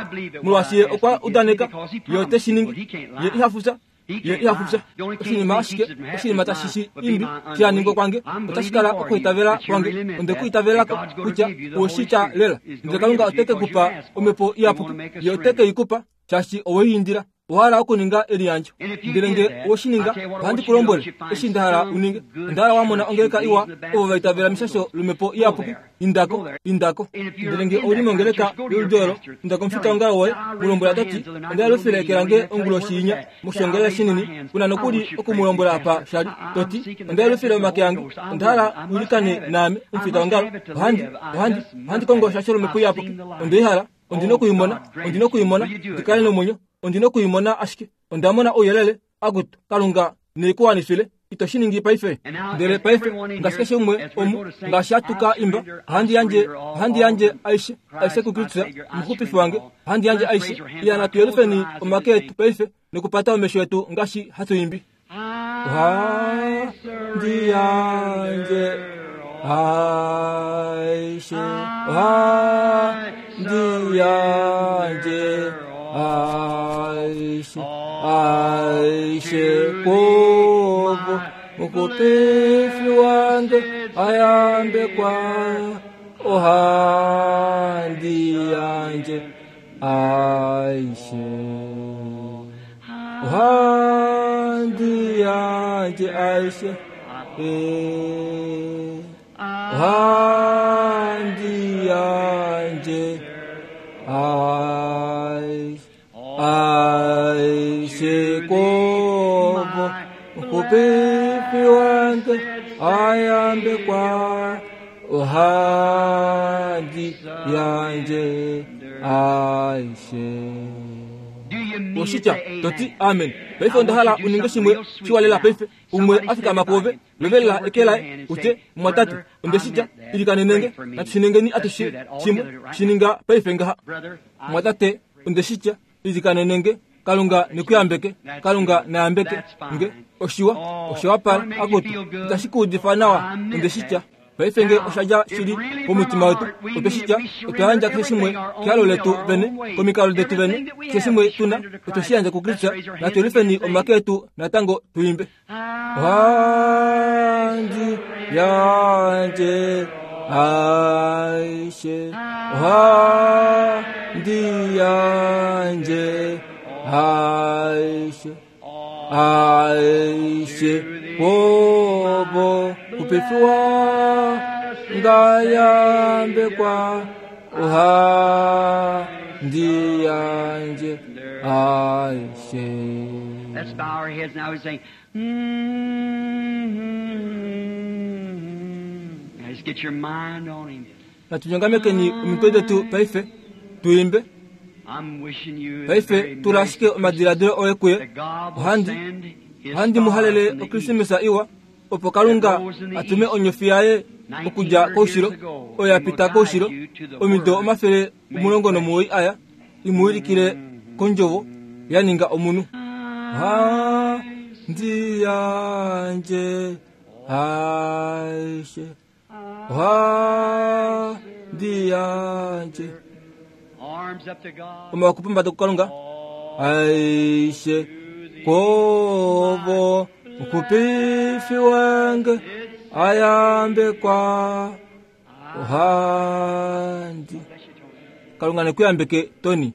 molwaashi ye okwa udaneka ye ote shi ningi. Ye iha fufya, ye iha fufya. Oshinima ashike, oshinima tashi shi imbi shaningwa kwange otashi kala okuitavela kwange. Onde ku itavelako kutya owoshitya lela, ndele Kalunga ote ke kupa omhepo iyapuki. Ye ote ke i kupa shaashi owei indila. Owa hala okuninga eliyandjo. Ndele nge oweshininga, ohandi ku lombwele eshi nda hala uninge. Onda hala wa mona ongeleka iwa ovo va itavela meshasho lomhepo iyapuki. Indako, indako. Ndele nge ouli mongeleka yoludi olo, inda komufitaongalo woye, mu lombwela toti, onda yelufile eke lange onguloshi inya moshiongelele shinini. Kuna nokuli oku mu lombwela apa shali, toti, onda yelufile omake ange, onda hala uilikane naame omufitaongalo. Ohandi, ohandi, ohandi kongo eshasho lomhepo iyapuki. Onde i hala, ondina okuimona, ondina okuimona, ndikale nomwenyo, ondina okuimona ashike. Onda mona ouyelele, akutu Kalunga neikuwanifile. Ito shi ningi paife. Ndele paife ngaashi keshe umwe omu, ngaashi hatu ka imba, ohandi yandje, ohandi yandje aishe, aishe kuKristus, omuxupifi wange, ohandi yandje aishe. Iya, natu yelufeni omake etu paife nokupata omesho etu ngaashi hatu imbi. Ohandi yandje aishe, ohandi yandje aishe, aishe kovo mukupifi wange ayambekwa. Ohandi yandje aishe, ohandi yandje aishe, ohandi yandje aishe, aishe kovo mukupifi wange ayambekwa. Ohandi yandje aishe. Oshitya toti amen. Paife onda hala uninge shimwe shiwalela paife. Umwe afikama kuove, lovelela eke laye, utye, mwatate, onde shitya, ilikanenenge, natushiningeni atushe shimwe, shininga paife ngaha. Mwatate, onde shitya, ilikanenenge, Kalunga nekuyambeke, Kalunga nayambeke nge, oshiwa, oshiwapala, akutu, itashi kuudifa nawa, onde shitya. Paife nge oshadja shili komutima wetu, otwe shitya, otwa yandja keshe shimwe kehalo letu vene, komikalo detu vene, keshe shimwe tuna, otwe shi yandja kuKristus. Natu yelufeni omake etu natango tuimbe. Ohandi yandje aishe, ohandi yandje aishe, aishe kovo kupifiwa ngayambekwa. Ohandi yandje aishe. Let's bow our heads now and say, mm-hmm. Now just get your mind on him. Natunyongamekeni omitwe detu paife tuimbe. I'm wishing you the Paife very tula ashike omadiladilo oye kuye. that God will Ohandi, send his ohandi muhalele star from the east. okrisimisa iwa, opo Kalunga atume onyofi yaye okudja koushilo, oyo ya pita koushilo omido omafele omulongo nomuwoi aya, imuwilikile kondjovo ya ninga omunhu. Ohandi yandje aishe, ohandi yandje. Arms up to God. Omawako pombada kuKalunga. Aishe kovo Muxupifi wange ayambekwa ohandi. Kalunga nekuyambeke Tony.